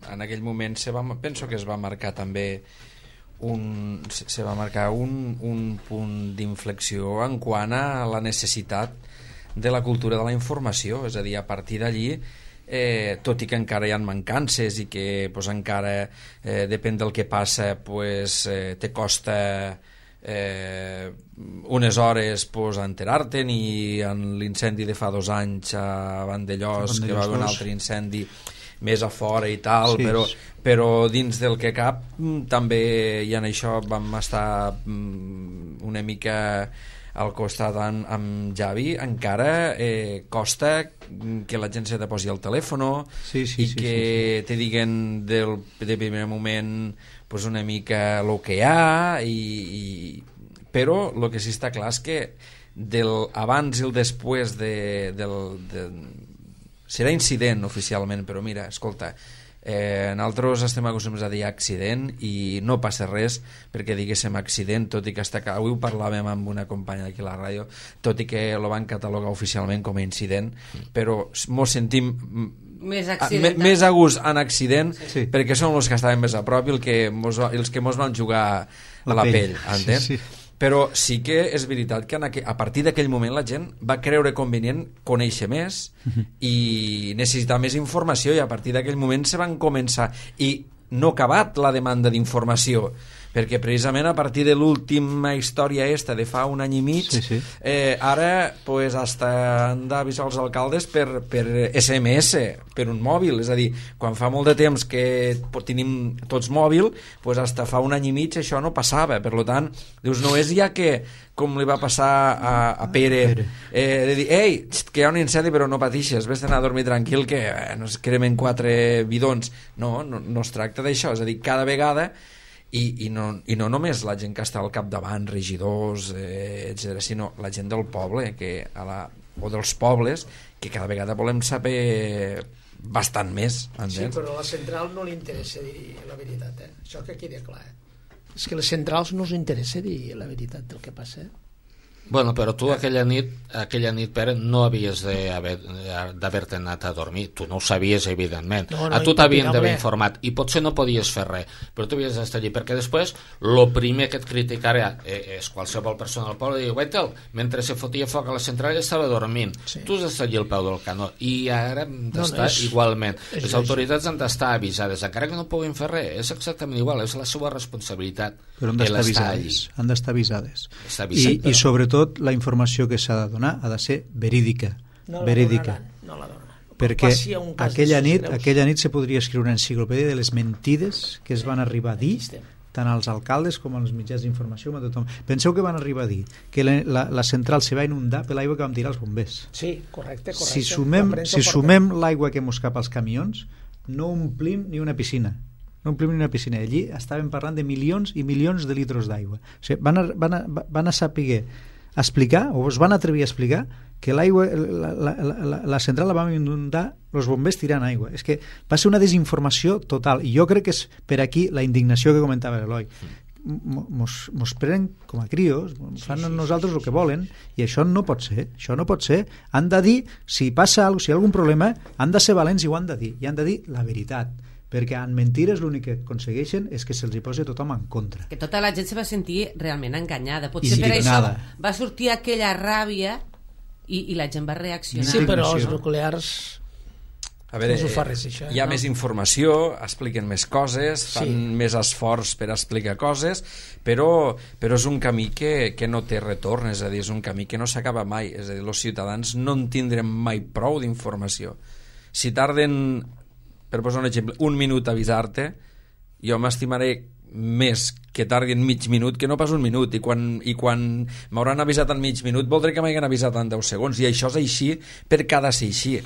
S5: en aquell moment penso que es va marcar també un punt d'inflexió en quant a la necessitat de la cultura de la informació, és a dir, a partir d'allí tot i que encara hi ha mancances i que pues, encara depèn del que passa pues, te costa unes hores pues, enterar-te'n, i en l'incendi de fa 2 anys a Vandellós, que va haver un altre incendi més a fora i tal, sí, però dins del que cap també, i en això vam estar una mica al costat amb Javi, encara costa que la gent se te posi al telèfon i que te diguen de primer moment pues, una mica el que hi ha, però el que sí està clar és que del abans i el després serà incident oficialment, però mira, escolta, nosaltres estem acostumats a dir accident i no passa res perquè diguéssim accident, tot i que avui ho parlàvem amb una companya aquí a la ràdio, tot i que lo van catalogar oficialment com a incident, però mos sentim més a gust en accident, sí, perquè són els que estaven més a prop i els que mos van jugar a la pell, entens? Sí. Però sí que és veritat que a partir d'aquell moment la gent va creure convenient conèixer més i necessitar més informació, i a partir d'aquell moment se van començar, i no ha acabat la demanda d'informació, perquè precisament a partir de l'última història de fa 1 any i mig, ara pues, hasta han d'avisar els alcaldes per SMS, per un mòbil, és a dir, quan fa molt de temps que tenim tots mòbil, pues, hasta fa 1 any i mig això no passava, per tant, dius, no és ja que com li va passar a Pere, de dir, ei, que hi ha un incendi però no patixes, vés anar a dormir tranquil que no es cremen 4 bidons. No es tracta d'això, és a dir, cada vegada i no només la gent que està al capdavant, regidors, etc., sinó la gent del poble o dels pobles, que cada vegada volem saber bastant més, entens?
S2: Sí, però a la central no li interessa dir la veritat, això que quedi clar, és que a les centrals no us interessa dir la veritat del que passa.
S4: Bueno, però tu aquella nit, Pere, no havies d'haver-te anat a dormir. Tu no ho sabies, evidentment. A tu t'havien d'haver informat i potser no podies fer res, però tu havies d'estar allí, perquè després el primer que et criticarà és qualsevol persona del poble, diu, Wettel, mentre se fotia foc a la central estava dormint. Sí. Tu has d'estar allí al peu del canó, i ara hem d'estar igualment. Les autoritats han d'estar avisades, encara que no puguin fer res, és exactament igual, és la seva responsabilitat.
S3: Però han d'estar avisades. I sobretot la informació que s'ha de donar ha de ser verídica.
S2: No la donaran.
S3: Perquè aquella nit se podria escriure una enciclopèdia de les mentides que es van arribar a dir tant als alcaldes com als mitjans d'informació, com a tothom. Penseu que van arribar a dir que la central se va inundar per l'aigua que vam tirar als bombers.
S2: Sí, correcte.
S3: Si sumem l'aigua que mos cap als camions, no omplim ni una piscina. Allí estàvem parlant de milions i milions de litres d'aigua. O sigui, van a saber explicar, o es van atrevir a explicar que l'aigua, la central la vam inundar els bombers tirant aigua. És que va ser una desinformació total, i jo crec que és per aquí la indignació que comentava l'Eloi. Mos prenen com a crios, fan nosaltres el que volen, i això no pot ser. Han de dir, si passa alguna cosa, si hi ha algun problema, han de ser valents i ho han de dir, i han de dir la veritat, perquè en mentires l'únic que aconsegueixen és que se'ls hi posi tothom en contra.
S1: Que tota la gent se va sentir realment enganyada. Potser per això va sortir aquella ràbia i la gent va reaccionar.
S2: Sí, però els nuclears
S5: a veure, no res, això, hi ha més informació, expliquen més coses, fan més esforç per explicar coses, però és un camí que no té retorn, és a dir, és un camí que no s'acaba mai, és a dir, els ciutadans no en tindrem mai prou d'informació. Si tarden, per posar un exemple, 1 minut a avisar-te, jo m'estimaré més que tardin mig minut que no pas un minut, i quan m'hauran avisat en mig minut voldré que m'hagin avisat en 10 segons, i això és així per cada ser així.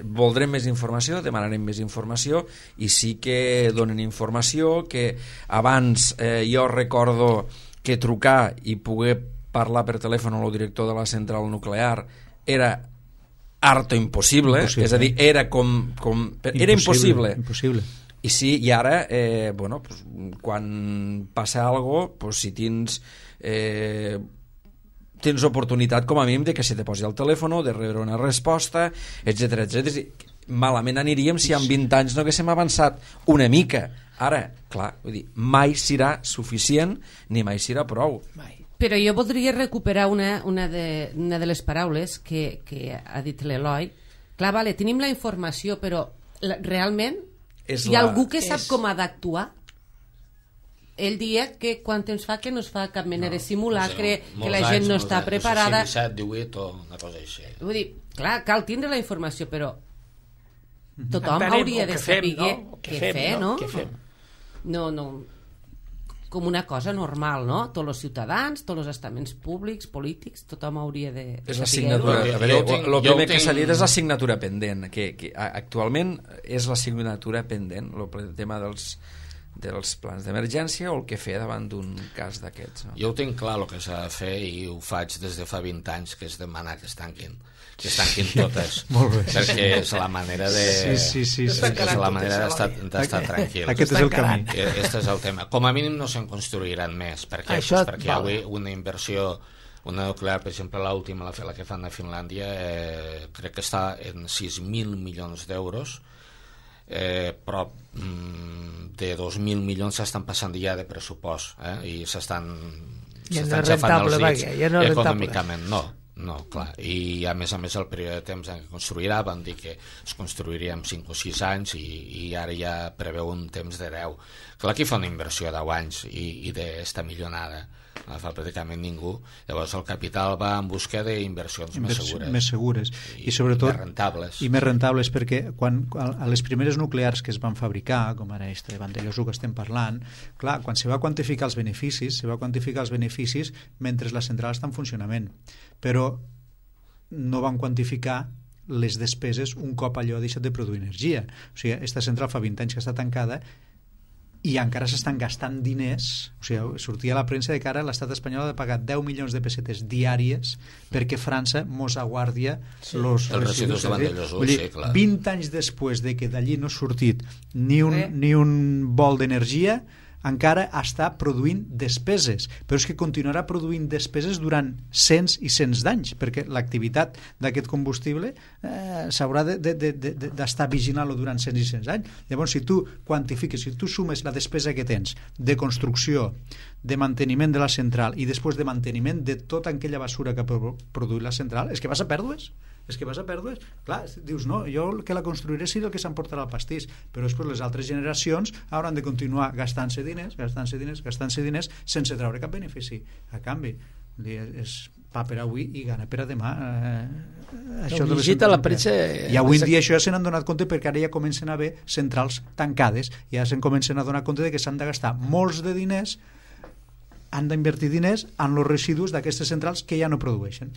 S5: Voldrem més informació, demanarem més informació, i sí que donen informació, que abans jo recordo que trucar i poder parlar per telèfon amb el director de la central nuclear era harto impossible, és a dir, era era impossible. I sí, i ara, pues, quan passa alguna cosa, pues, si tens oportunitat com a mínim de que se te posi al telèfon, de rebre una resposta, etc. Malament aniríem si en 20 anys no haguéssim avançat una mica. Ara, clar, vull dir, mai serà suficient ni mai serà prou.
S1: Però jo voldria recuperar una de les paraules que ha dit l'Eloi. Clar, vale, tenim la informació, però realment hi ha algú que sap com ha d'actuar? Ell dia que quan temps fa que no es fa cap mena de simulacre, que la gent no està preparada.
S4: 17, 18 o una cosa així.
S1: Vull dir, clar, cal tindre la informació, però tothom hauria de saber què fer, no? No, com una cosa normal, no? Tots els ciutadans, tots els estaments públics, polítics, tothom hauria de
S5: és l'assignatura. El primer que s'ha dit és l'assignatura pendent, que actualment és l'assignatura pendent, el tema dels plans d'emergència o el que fer davant d'un cas d'aquests. No?
S4: Jo ho tinc clar el que s'ha de fer, i ho faig des de fa 20 anys, que és demanar que es tanquin totes, perquè és la manera de és la manera d'estar tranquil.
S3: Aquest és el camí.
S4: Aquest és el tema. Com a mínim no se'n construiran més. Per què? Perquè avui una inversió, una nuclear, per exemple, l'última, la que fan a Finlàndia, crec que està en 6.000 milions d'euros, però de 2.000 milions s'estan passant ja de pressupost, i s'estan xafant els dits econòmicament. No, clar, i a més el període de temps en què construirà, van dir que es construiria en 5 o 6 anys, i ara ja preveu un temps de 10. Clar, aquí fa una inversió de 10 anys i d'esta milionada no la fa pràcticament ningú. Llavors el capital va en busca d'inversions més segures
S3: i sobretot
S4: més
S3: rentables, perquè a les primeres nuclears que es van fabricar, com ara aquesta de Vandellós que estem parlant, clar, quan se va quantificar els beneficis mentre la central està en funcionament, però no van quantificar les despeses un cop allò ha deixat de produir energia. O sigui, aquesta central fa 20 anys que està tancada i encara s'estan gastant diners. O sigui, sortia a la premsa de que ara l'estat espanyol ha de pagar 10 milions de pessetes diàries perquè França mos aguardia els
S4: residus de Vandellós.
S3: 20 anys després de que d'allí no ha sortit ni un bol d'energia, encara està produint despeses, però és que continuarà produint despeses durant cents i cents d'anys, perquè l'activitat d'aquest combustible s'haurà d'estar vigilant-lo durant cents i cents anys. Llavors, si tu quantifiques, si tu sumes la despesa que tens de construcció, de manteniment de la central i després de manteniment de tota aquella basura que ha produït la central, és que vas a pèrdues. Clar, dius, no, jo el que la construiré serà el que s'emportarà el pastís, però després les altres generacions hauran de continuar gastant-se diners sense treure cap benefici a canvi. És pa per avui i gana per a demà.
S2: La premsa...
S3: I avui en dia això ja se n'han donat compte, perquè ara ja comencen a haver centrals tancades, ja se'n comencen a donar compte de que s'han de gastar molts de diners, han d'invertir diners en els residus d'aquestes centrals que ja no produeixen.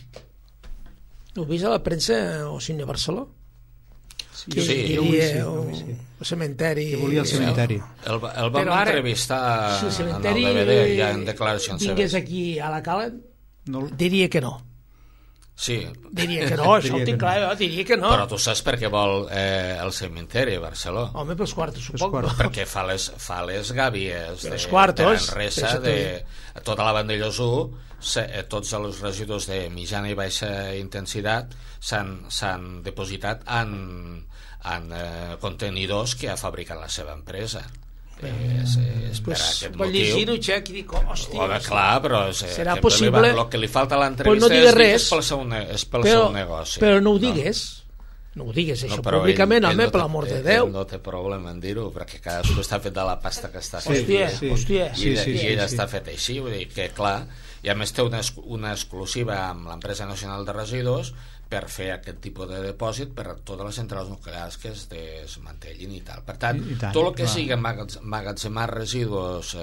S2: Heu vist a la premsa o Cine Barceló?
S3: Sí,
S2: el cementeri.
S3: Que volia el cementeri.
S4: El vam entrevistar en el DVD, ja en declaracions seves.
S2: Vingués aquí a la Cala, diria que no.
S4: Sí.
S2: Diria que no, això ho tinc clar, diria que no.
S4: Però tu saps per què vol el cementeri a Barceló?
S2: Home, pels quartos, suposo.
S4: Perquè fa les gàbies de Manresa, de tota la Vandellós 1, tots els residus de mitjana i baixa intensitat s'han depositat en contenidors que ha fabricat la seva empresa. És per aquest motiu.
S2: Llegir-ho, Xec, i dic, hòstia,
S4: clar, però
S2: serà possible.
S4: El que li falta a l'entrevista és pel seu negoci.
S2: Però no ho digues. No ho digues, això, públicament, home, per l'amor de Déu.
S4: No té problema en dir-ho, perquè cadascú està fet de la pasta que està
S2: fet. Hòstia.
S4: I ell està fet així, vull dir que, clar, i a més té una exclusiva amb l'empresa nacional de residus per fer aquest tipus de depòsit per a totes les centrals nuclears que es desmantellin i tal. Per tant, tot el que sigui emmagatzemar residus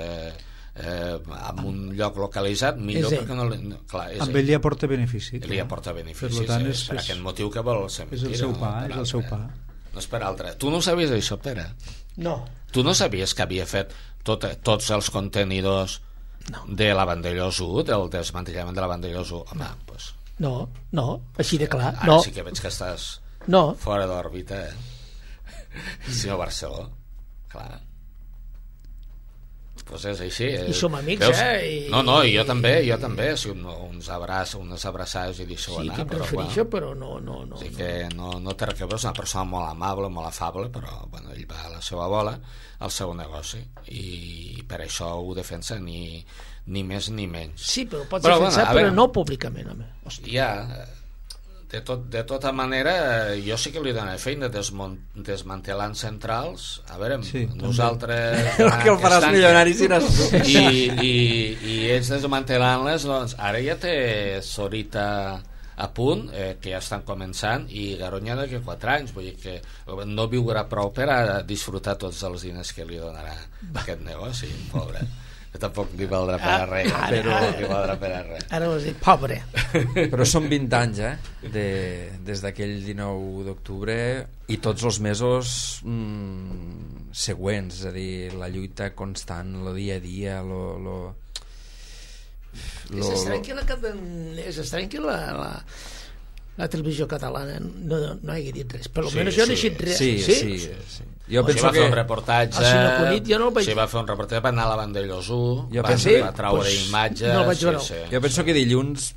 S4: en un lloc localitzat, millor, perquè no... Clar,
S3: amb ell li aporta benefici.
S4: Li aporta benefici, per aquest motiu que vol ser mentida.
S3: És el seu pa.
S4: No és per altre. Tu no sabies això, Pere?
S2: No.
S4: Tu no sabies que havia fet tots els contenidors de la Vandellós 1, del desmantellament de la Vandellós 1? Home, doncs...
S2: No, així de clar.
S4: Ara sí que veig que estàs fora d'òrbita, senyor Barceló. Clar. Pues és així.
S2: I som amics,
S4: No, jo també, si unes abraçades i deixo anar.
S2: Sí, que em refereixo, però no.
S4: Sí que no té res a veure, és una persona molt amable, molt afable, però bueno, ell va a la seva bola, al seu negoci, i per això ho defensa, ni més ni menys.
S2: Sí, però pots defensar, però no públicament, home.
S4: Ja, de tota manera, jo sí que li donaré feina desmantelant centrals. A veure, nosaltres
S5: que el faràs milionari si no...
S4: I ells desmantelant-les, doncs ara ja té Sorita a punt, que ja estan començant, i Garoña d'aquí 4 anys, vull dir que no viurà prou per a disfrutar tots els diners que li donarà aquest negoci, pobre. Que tampoc li valdrà per a res, però li valdrà per a res.
S2: Ara vas dir, pobre.
S5: Però són 20 anys, des d'aquell 19 d'octubre, i tots els mesos següents, és a dir, la lluita constant, el dia a dia,
S2: és estrany que la televisió catalana no hagi dit res, per almenys jo no he dit res.
S5: Sí. Jo penso
S4: va fer un reportatge,
S2: va
S4: fer un reportatge, va anar a la Vandellós 1, va traure imatges.
S2: No el vaig veure.
S5: Jo penso que dilluns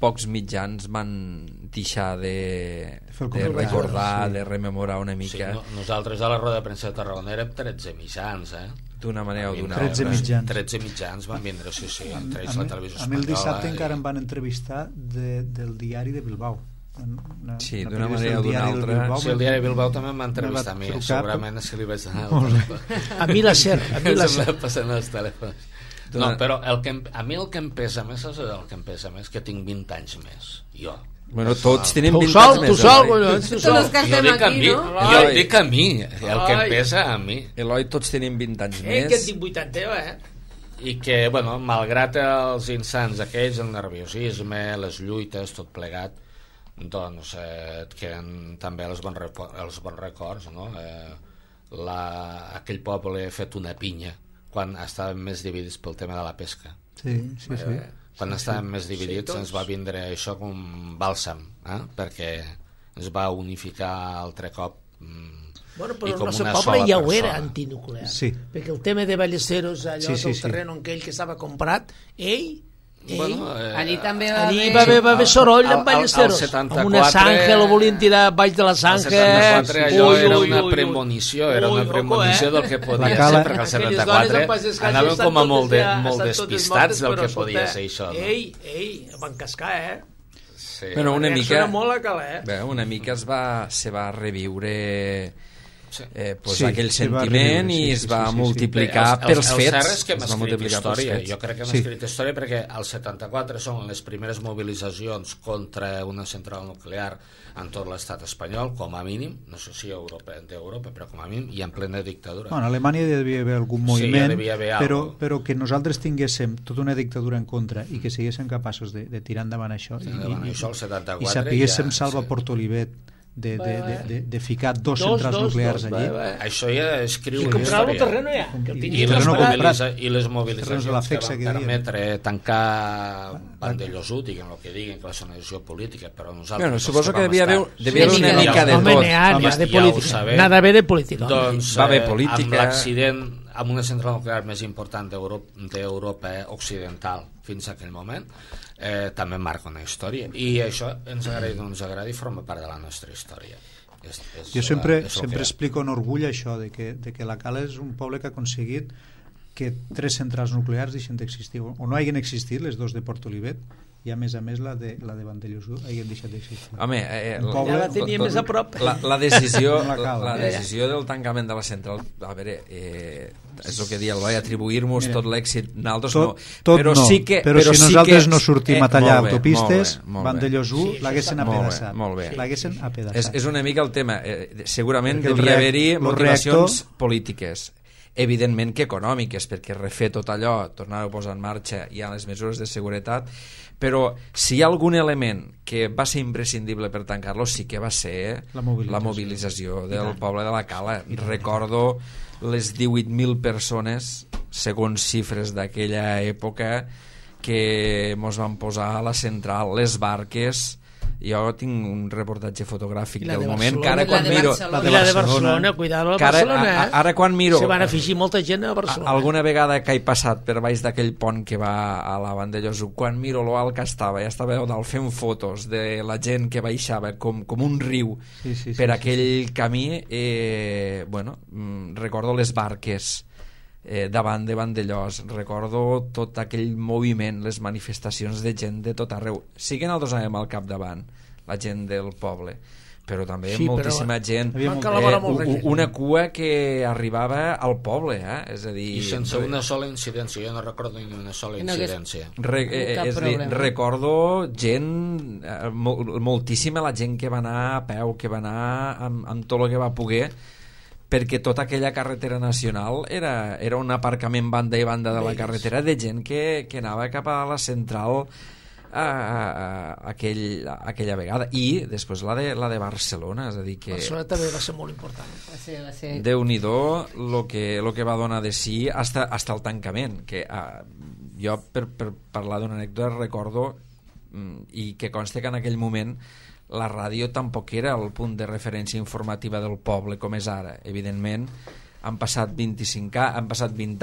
S5: pocs mitjans van deixar de recordar, de rememorar una mica.
S4: Nosaltres a la roda de premsa de Tarragona érem 13 mitjans,
S5: d'una manera o d'una altra.
S4: 13 mitjans van vindre, sí, entre ells la televisió espanyola.
S3: A mi el dissabte encara em van entrevistar del diari de Bilbao.
S5: Sí, d'una manera o d'una altra.
S4: Sí, el diari de Bilbao també em va entrevistar a mi, segurament és que li vaig donar
S2: a mi la SER
S4: passant els telèfons. No, però a mi el que em pesa més és el que em pesa més, que tinc 20 anys més, jo.
S5: Bueno, tots tenim 20 anys més.
S4: Jo dic a mi, el que em pesa a mi.
S5: Eloi, tots tenim 20 anys més.
S2: Que tinc 80,
S4: I que, bueno, malgrat els insans aquells, el nerviosisme, les lluites, tot plegat, doncs queden també els bons records, no? Aquell poble ha fet una pinya quan estàvem més dividits pel tema de la pesca.
S3: Sí.
S4: Quan estàvem més dividits ens va vindre això com un bàlsam, perquè ens va unificar altre cop.
S2: Bueno, però el nostre poble ja ho era antinuclear, perquè el tema de Ballesteros, allò del terreno en aquell que estava comprat,
S1: allí també
S2: va haver soroll amb Ballesteros, amb una zanja, lo volien tirar baix de la zanja.
S4: El 74 allò era una premonició, del que podia ser, perquè el 74 anaven com a molt despistats del que podia ser això.
S2: Van cascar,
S5: Bueno, una mica se va reviure aquell sentiment i es va multiplicar pels fets.
S4: El cert és que hem escrit història. Jo crec que hem escrit història perquè el 74 són les primeres mobilitzacions contra una central nuclear en tot l'estat espanyol, com a mínim, no sé si d'Europa, però com a mínim, i en plena dictadura.
S3: En Alemanya hi devia haver algun moviment, però que nosaltres tinguéssim tota una dictadura en contra i que siguéssim capaços de tirar endavant això i sapiguéssim Salva Portolivet de ficar dos centrals nuclears allí.
S4: Això ja escriu
S2: i comprar el terreno ja
S4: i les mobilitzacions que van permetre tancar Vandellós 1, diguem el que diguin, que va ser una decisió política, però nosaltres
S5: suposo que devia haver una mica de tot.
S2: Nada bé de política.
S4: Doncs amb l'accident amb una central nuclear més important d'Europa occidental fins a aquell moment, també marca una història, i això ens agradi o no ens agradi, forma part de la nostra història.
S3: Jo sempre explico en orgull això de que la Cala és un poble que ha aconseguit que 3 centrals nuclears deixen d'existir, o no hagin existit les dos de Port Olivet, i a més la de Vandellós hagin deixat d'existir.
S5: Home,
S2: ja la tenia més a prop.
S5: La decisió del tancament de la central, a veure, és el que dia el vaig atribuir-nos tot l'èxit nosaltres no, però
S3: no,
S5: sí que
S3: però si
S5: sí
S3: nosaltres
S5: que,
S3: no sortim a tallar autopistes,
S5: molt bé.
S3: Vandellós l'haguessin apedaçat. L'haguessin apedaçat.
S5: És una mica el tema, segurament devia haver-hi motivacions polítiques, evidentment que econòmiques, perquè refer tot allò, tornar-ho a posar en marxa, hi ha les mesures de seguretat, però si hi ha algun element que va ser imprescindible per tancar-lo, sí que va ser la mobilització del poble de la Cala. Recordo les 18.000 persones, segons xifres d'aquella època, que mos van posar a la central, les barques. Jo tinc un reportatge fotogràfic del moment que ara quan miro...
S2: La de Barcelona, cuidado, la Barcelona,
S5: ara quan miro...
S2: Se van afegir molta gent a Barcelona.
S5: Alguna vegada que he passat per baix d'aquell pont que va a la Vandellós, quan miro lo alt que estava, ja estava dalt fent fotos de la gent que baixava com un riu per aquell camí, bueno, recordo les barques davant de Vandellós, recordo tot aquell moviment, les manifestacions de gent de tot arreu. Sí que nosaltres anàvem al capdavant, la gent del poble, però també moltíssima gent, una cua que arribava al poble, és a dir...
S4: I sense una sola incidència, jo no recordo ni una sola incidència.
S5: Recordo gent, moltíssima la gent que va anar a peu, que va anar amb tot el que va poder, perquè tota aquella carretera nacional era un aparcament banda i banda de la carretera de gent que anava cap a la central aquella vegada, i després la de Barcelona, és a dir que
S2: Barcelona també va ser molt important.
S1: Va ser.
S5: Déu-n'hi-do lo que va donar de si hasta el tancament, que jo per parlar d'una anècdota recordo, i que consta que en aquell moment la ràdio tampoc era el punt de referència informativa del poble com és ara. Evidentment han passat 20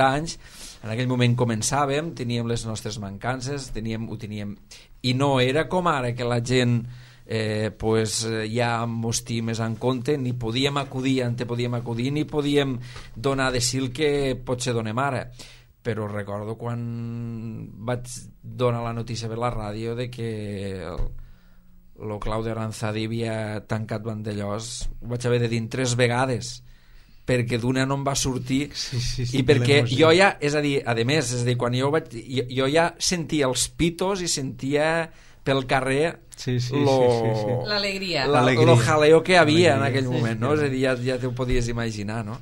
S5: anys, en aquell moment començàvem, teníem les nostres mancances, ho teníem, i no era com ara que la gent ja mos té més en compte, ni podíem acudir ni podíem donar de si el que potser donem ara. Però recordo quan vaig donar la notícia per la ràdio de que el Claudio Aranzadi havia tancat Vandellós, ho vaig haver de dir 3 vegades, perquè d'una no em va sortir, i perquè jo ja, és a dir, quan jo ja sentia els pitos i sentia pel carrer
S1: l'alegria,
S5: lo jaleo que havia en aquell moment, no? És a dir, ja t'ho podies imaginar, no?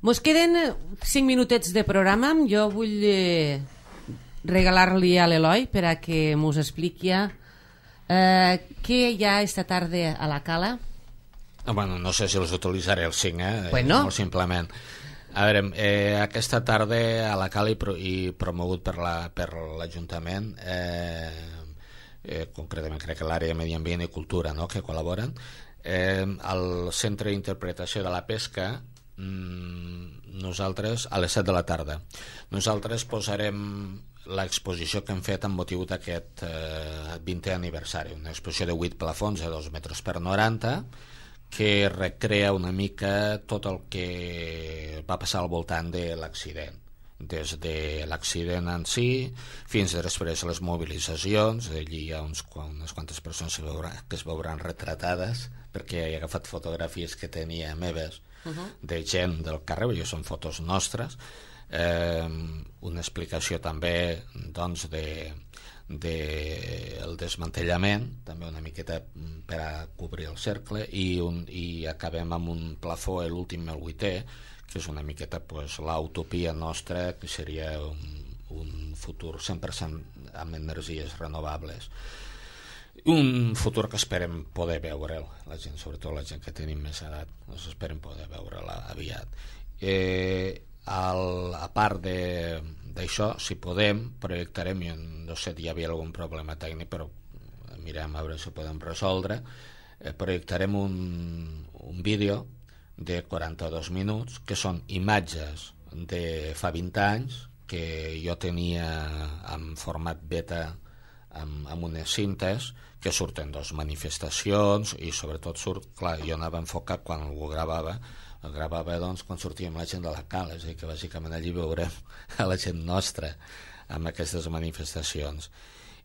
S1: Mos queden 5 minutets de programa. Jo vull regalar-li a l'Eloi per a que mos expliqui què hi ha esta tarda a la Cala.
S4: Bueno, no sé si els utilitzaré els 5,
S1: bueno.
S4: Molt simplement. A veure, aquesta tarda a la Cala i promogut per l'Ajuntament, concretament crec que l'àrea de Medi Ambient i Cultura, no?, que col·laboren, al Centre d'Interpretació de la Pesca, nosaltres a les 7 de la tarda nosaltres posarem l'exposició que hem fet amb motiu d'aquest 20è aniversari, una exposició de 8 plafons de 2 metres per 90 que recrea una mica tot el que va passar al voltant de l'accident, des de l'accident en si fins després les mobilitzacions. Allí hi ha unes quantes persones que es veuran retratades, perquè he agafat fotografies que tenia meves de gent del carrer, i són fotos nostres. Una explicació també, doncs, del desmantellament, també una miqueta per a cobrir el cercle, i acabem amb un plafó, l'últim, el 8è, que és una miqueta l'utopia nostra, que seria un futur 100% amb energies renovables, un futur que esperem poder veure'l, la gent, sobretot la gent que tenim més edat, doncs esperem poder veure'l aviat. A part d'això, si podem, projectarem, jo no sé si hi havia algun problema tècnic, però mirem a veure si ho podem resoldre, projectarem un vídeo de 42 minuts, que són imatges de fa 20 anys, que jo tenia en format beta amb unes cintes, que surten manifestacions, i sobretot surt, clar, jo anava enfocat quan ho gravava, el gravava doncs, quan sortíem la gent de la Cal, és a dir, que bàsicament allí veurem a la gent nostra amb aquestes manifestacions,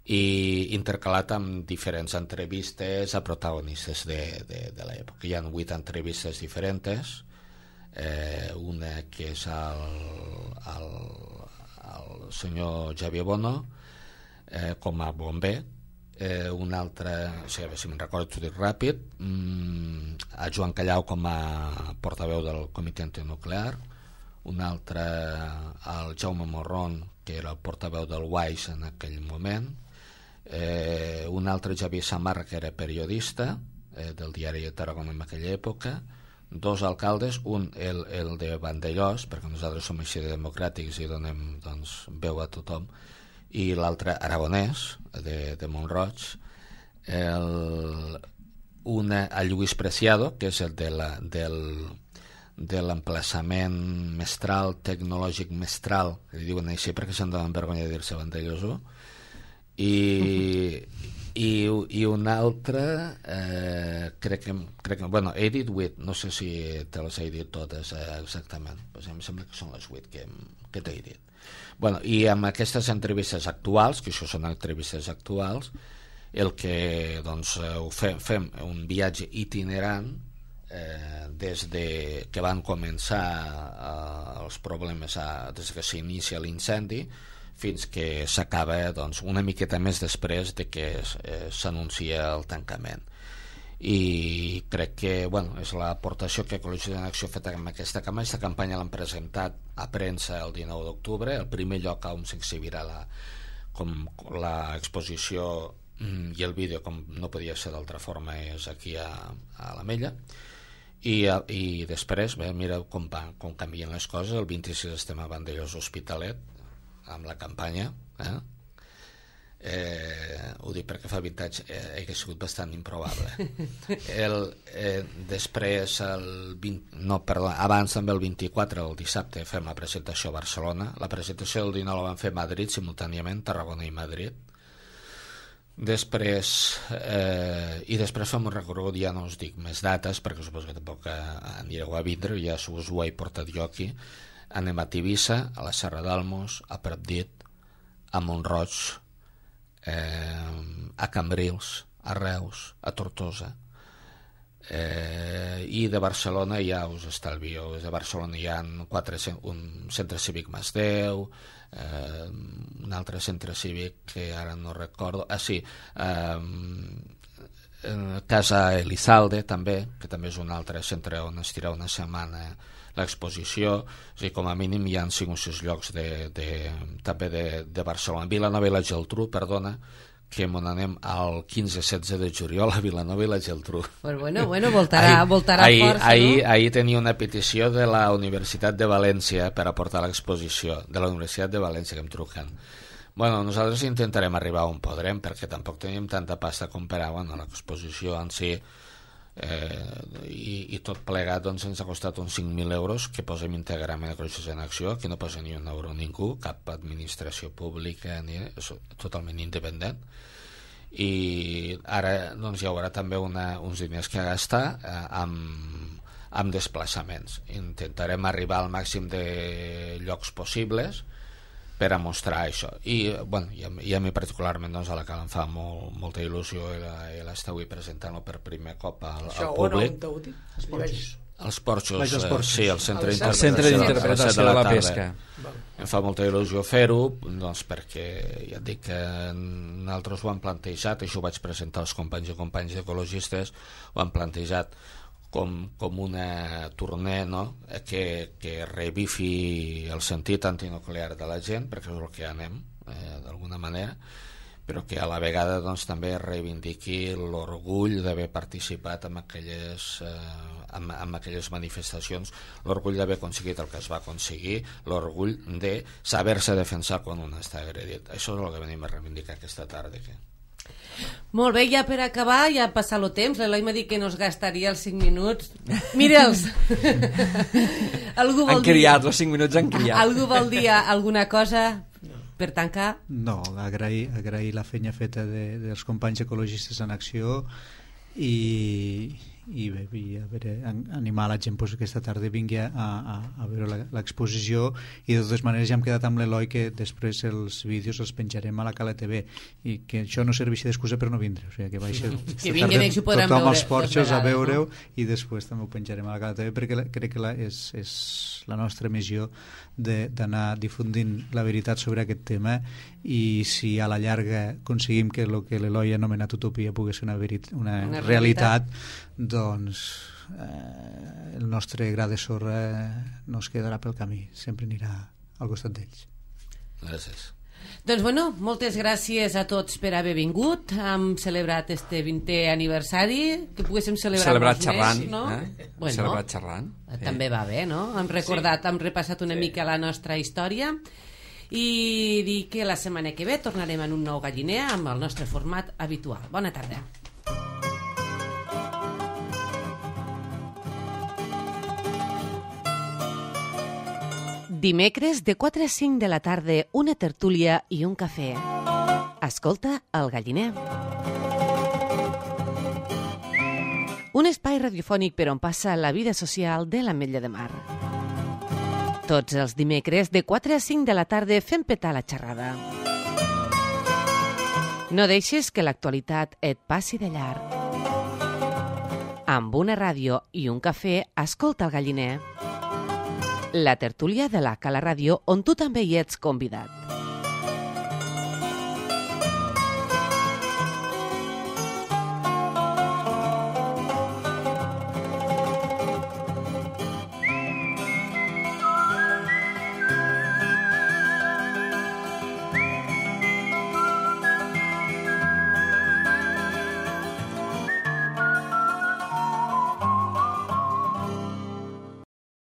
S4: i intercalat amb diferents entrevistes a protagonistes de l'època. Hi ha 8 entrevistes diferents, una que és el senyor Xavier Bono com a bomber, una altra, o sigui, si me'n recordo t'ho dic ràpid, a Joan Callau com a portaveu del comitè antinuclear, un altre al Jaume Morron, que era el portaveu del WAIS en aquell moment, un altre Javier Samarra, que era periodista del diari de Tarragona en aquella època, 2 alcaldes, un el de Vandellós, perquè nosaltres som així de democràtics i donem doncs, veu a tothom, i l'altre aragonès de Mont-roig, el Lluís Preciado, que és el de l'emplaçament mestral, tecnològic mestral, que li diuen així perquè se'n donen vergonya de dir-se Vandellós, i un altre crec que bueno, he dit 8, no sé si te les he dit totes exactament, pues em sembla que són les 8 que t'he dit. Bueno, i amb aquestes entrevistes actuals, que això són entrevistes actuals, el que doncs, fem un viatge itinerant des de que van començar els problemes des que s'inicia l'incendi fins que s'acaba doncs, una miqueta més després de que s'anuncia el tancament. I crec que bueno, és l'aportació que Ecologistes en Acció ha fet amb aquesta campanya. Aquesta campanya l'han presentat a premsa el 19 d'octubre, el primer lloc on s'exhibirà l'exposició i el vídeo, com no podia ser d'altra forma, és aquí a l'Ametlla. I després, bé, mira com canvien les coses. El 26 estem a Vandellós Hospitalet amb la campanya, ho dic perquè fa 20 anys hauria sigut bastant improbable. Després abans també el 24, el dissabte, fem la presentació a Barcelona. La presentació del 19 la van fer a Madrid simultàniament, Tarragona i Madrid. Després fem un recorregut, ja no us dic més dates perquè suposo que tampoc anireu a vindre, ja us ho he portat jo aquí. Anem a Tivissa, a la Serra d'Almos, a Pratdip, a Mont-roig, a Cambrils, a Reus, a Tortosa, i de Barcelona ja us estalvio. De Barcelona hi ha un centre cívic Masdeu, un altre centre cívic que ara no recordo, Casa Elizalde també, que també és un altre centre on es tira una setmana l'exposició. O sigui, com a mínim hi ha 5 o 6 llocs també de Barcelona. Vilanova i la Geltrú, perdona, que m'on anem el 15-16 de juliol a Vilanova i la Geltrú.
S1: Bueno, voltarà força, no?
S4: Ahir tenia una petició de la Universitat de València per aportar l'exposició, de la Universitat de València, que em truquen. Bueno, nosaltres intentarem arribar on podrem, perquè tampoc tenim tanta pasta com per a l'exposició en si, i tot plegat doncs, ens ha costat uns 5.000 euros que posem íntegrament a Ecologistes en Acció. Aquí no posa ni un euro ningú, cap administració pública, és totalment independent. I ara doncs, hi haurà també uns diners que gastar amb desplaçaments. Intentarem arribar al màxim de llocs possibles per a mostrar això. I a mi particularment doncs, a la que em fa molta il·lusió l'estar avui presentant-ho per primer cop al públic. Els porxos, sí, el centre
S5: d'interpretació de la pesca.
S4: Em fa molta il·lusió fer-ho, doncs, perquè ja et dic que nosaltres ho hem plantejat, això ho vaig presentar als companys i companyes ecologistes, ho han plantejat com una tournée, no? que revifi el sentit antinuclear de la gent, perquè és el que anem d'alguna manera, però que a la vegada doncs, també reivindiqui l'orgull d'haver participat en aquelles manifestacions, l'orgull d'haver aconseguit el que es va aconseguir, l'orgull de saber-se defensar quan un està agredit. Això és el que venim a reivindicar aquesta tarda.
S1: Molt bé, ja per acabar, ja ha passat el temps. L'Eloi m'ha dit que no es gastaria els 5 minuts. Mira'ls!
S5: Han criat, els 5 minuts han criat.
S1: Algú vol dir alguna cosa per tancar?
S3: No, agrair la feina feta dels companys ecologistes en acció i bé, i a veure, animar la gent pues, aquesta tarda vingui a veure l'exposició, i de totes maneres ja hem quedat amb l'Eloi que després els vídeos els penjarem a la Cala TV, i que això no serveixi d'excusa per no vindre, o sigui, que vagi
S1: que vinguen ells ho podran
S3: tothom
S1: veure
S3: als porxos a veure-ho,
S1: no?
S3: I després també ho penjarem a la Cala TV, perquè crec que és la nostra missió d'anar difundint la veritat sobre aquest tema, i si a la llarga aconseguim que el que l'Eloi ha anomenat utopia pugui ser una realitat, doncs el nostre gra de sorra no es quedarà pel camí, sempre anirà al costat d'ells.
S4: Gràcies.
S1: Doncs bueno, moltes gràcies a tots per haver vingut. Hem celebrat este 20è aniversari, que poguéssim celebrar
S5: xerrant,
S1: més, no? Bueno,
S5: celebrat xerrant.
S1: També va bé, no? Hem recordat, hem repassat una mica la nostra història, i dir que la setmana que ve tornarem en un nou galliner amb el nostre format habitual. Bona tarda. Dimecres de 4 a 5 de la tarda, una tertúlia i un cafè. Escolta el galliner. Un espai radiofònic per on passa la vida social de l'Ametlla de Mar. Tots els dimecres de 4 a 5 de la tarda fem petar la xerrada. No deixes que l'actualitat et passi de llarg. Amb una ràdio i un cafè, escolta el galliner. La tertúlia de la Cala Ràdio, on tu també hi ets convidat.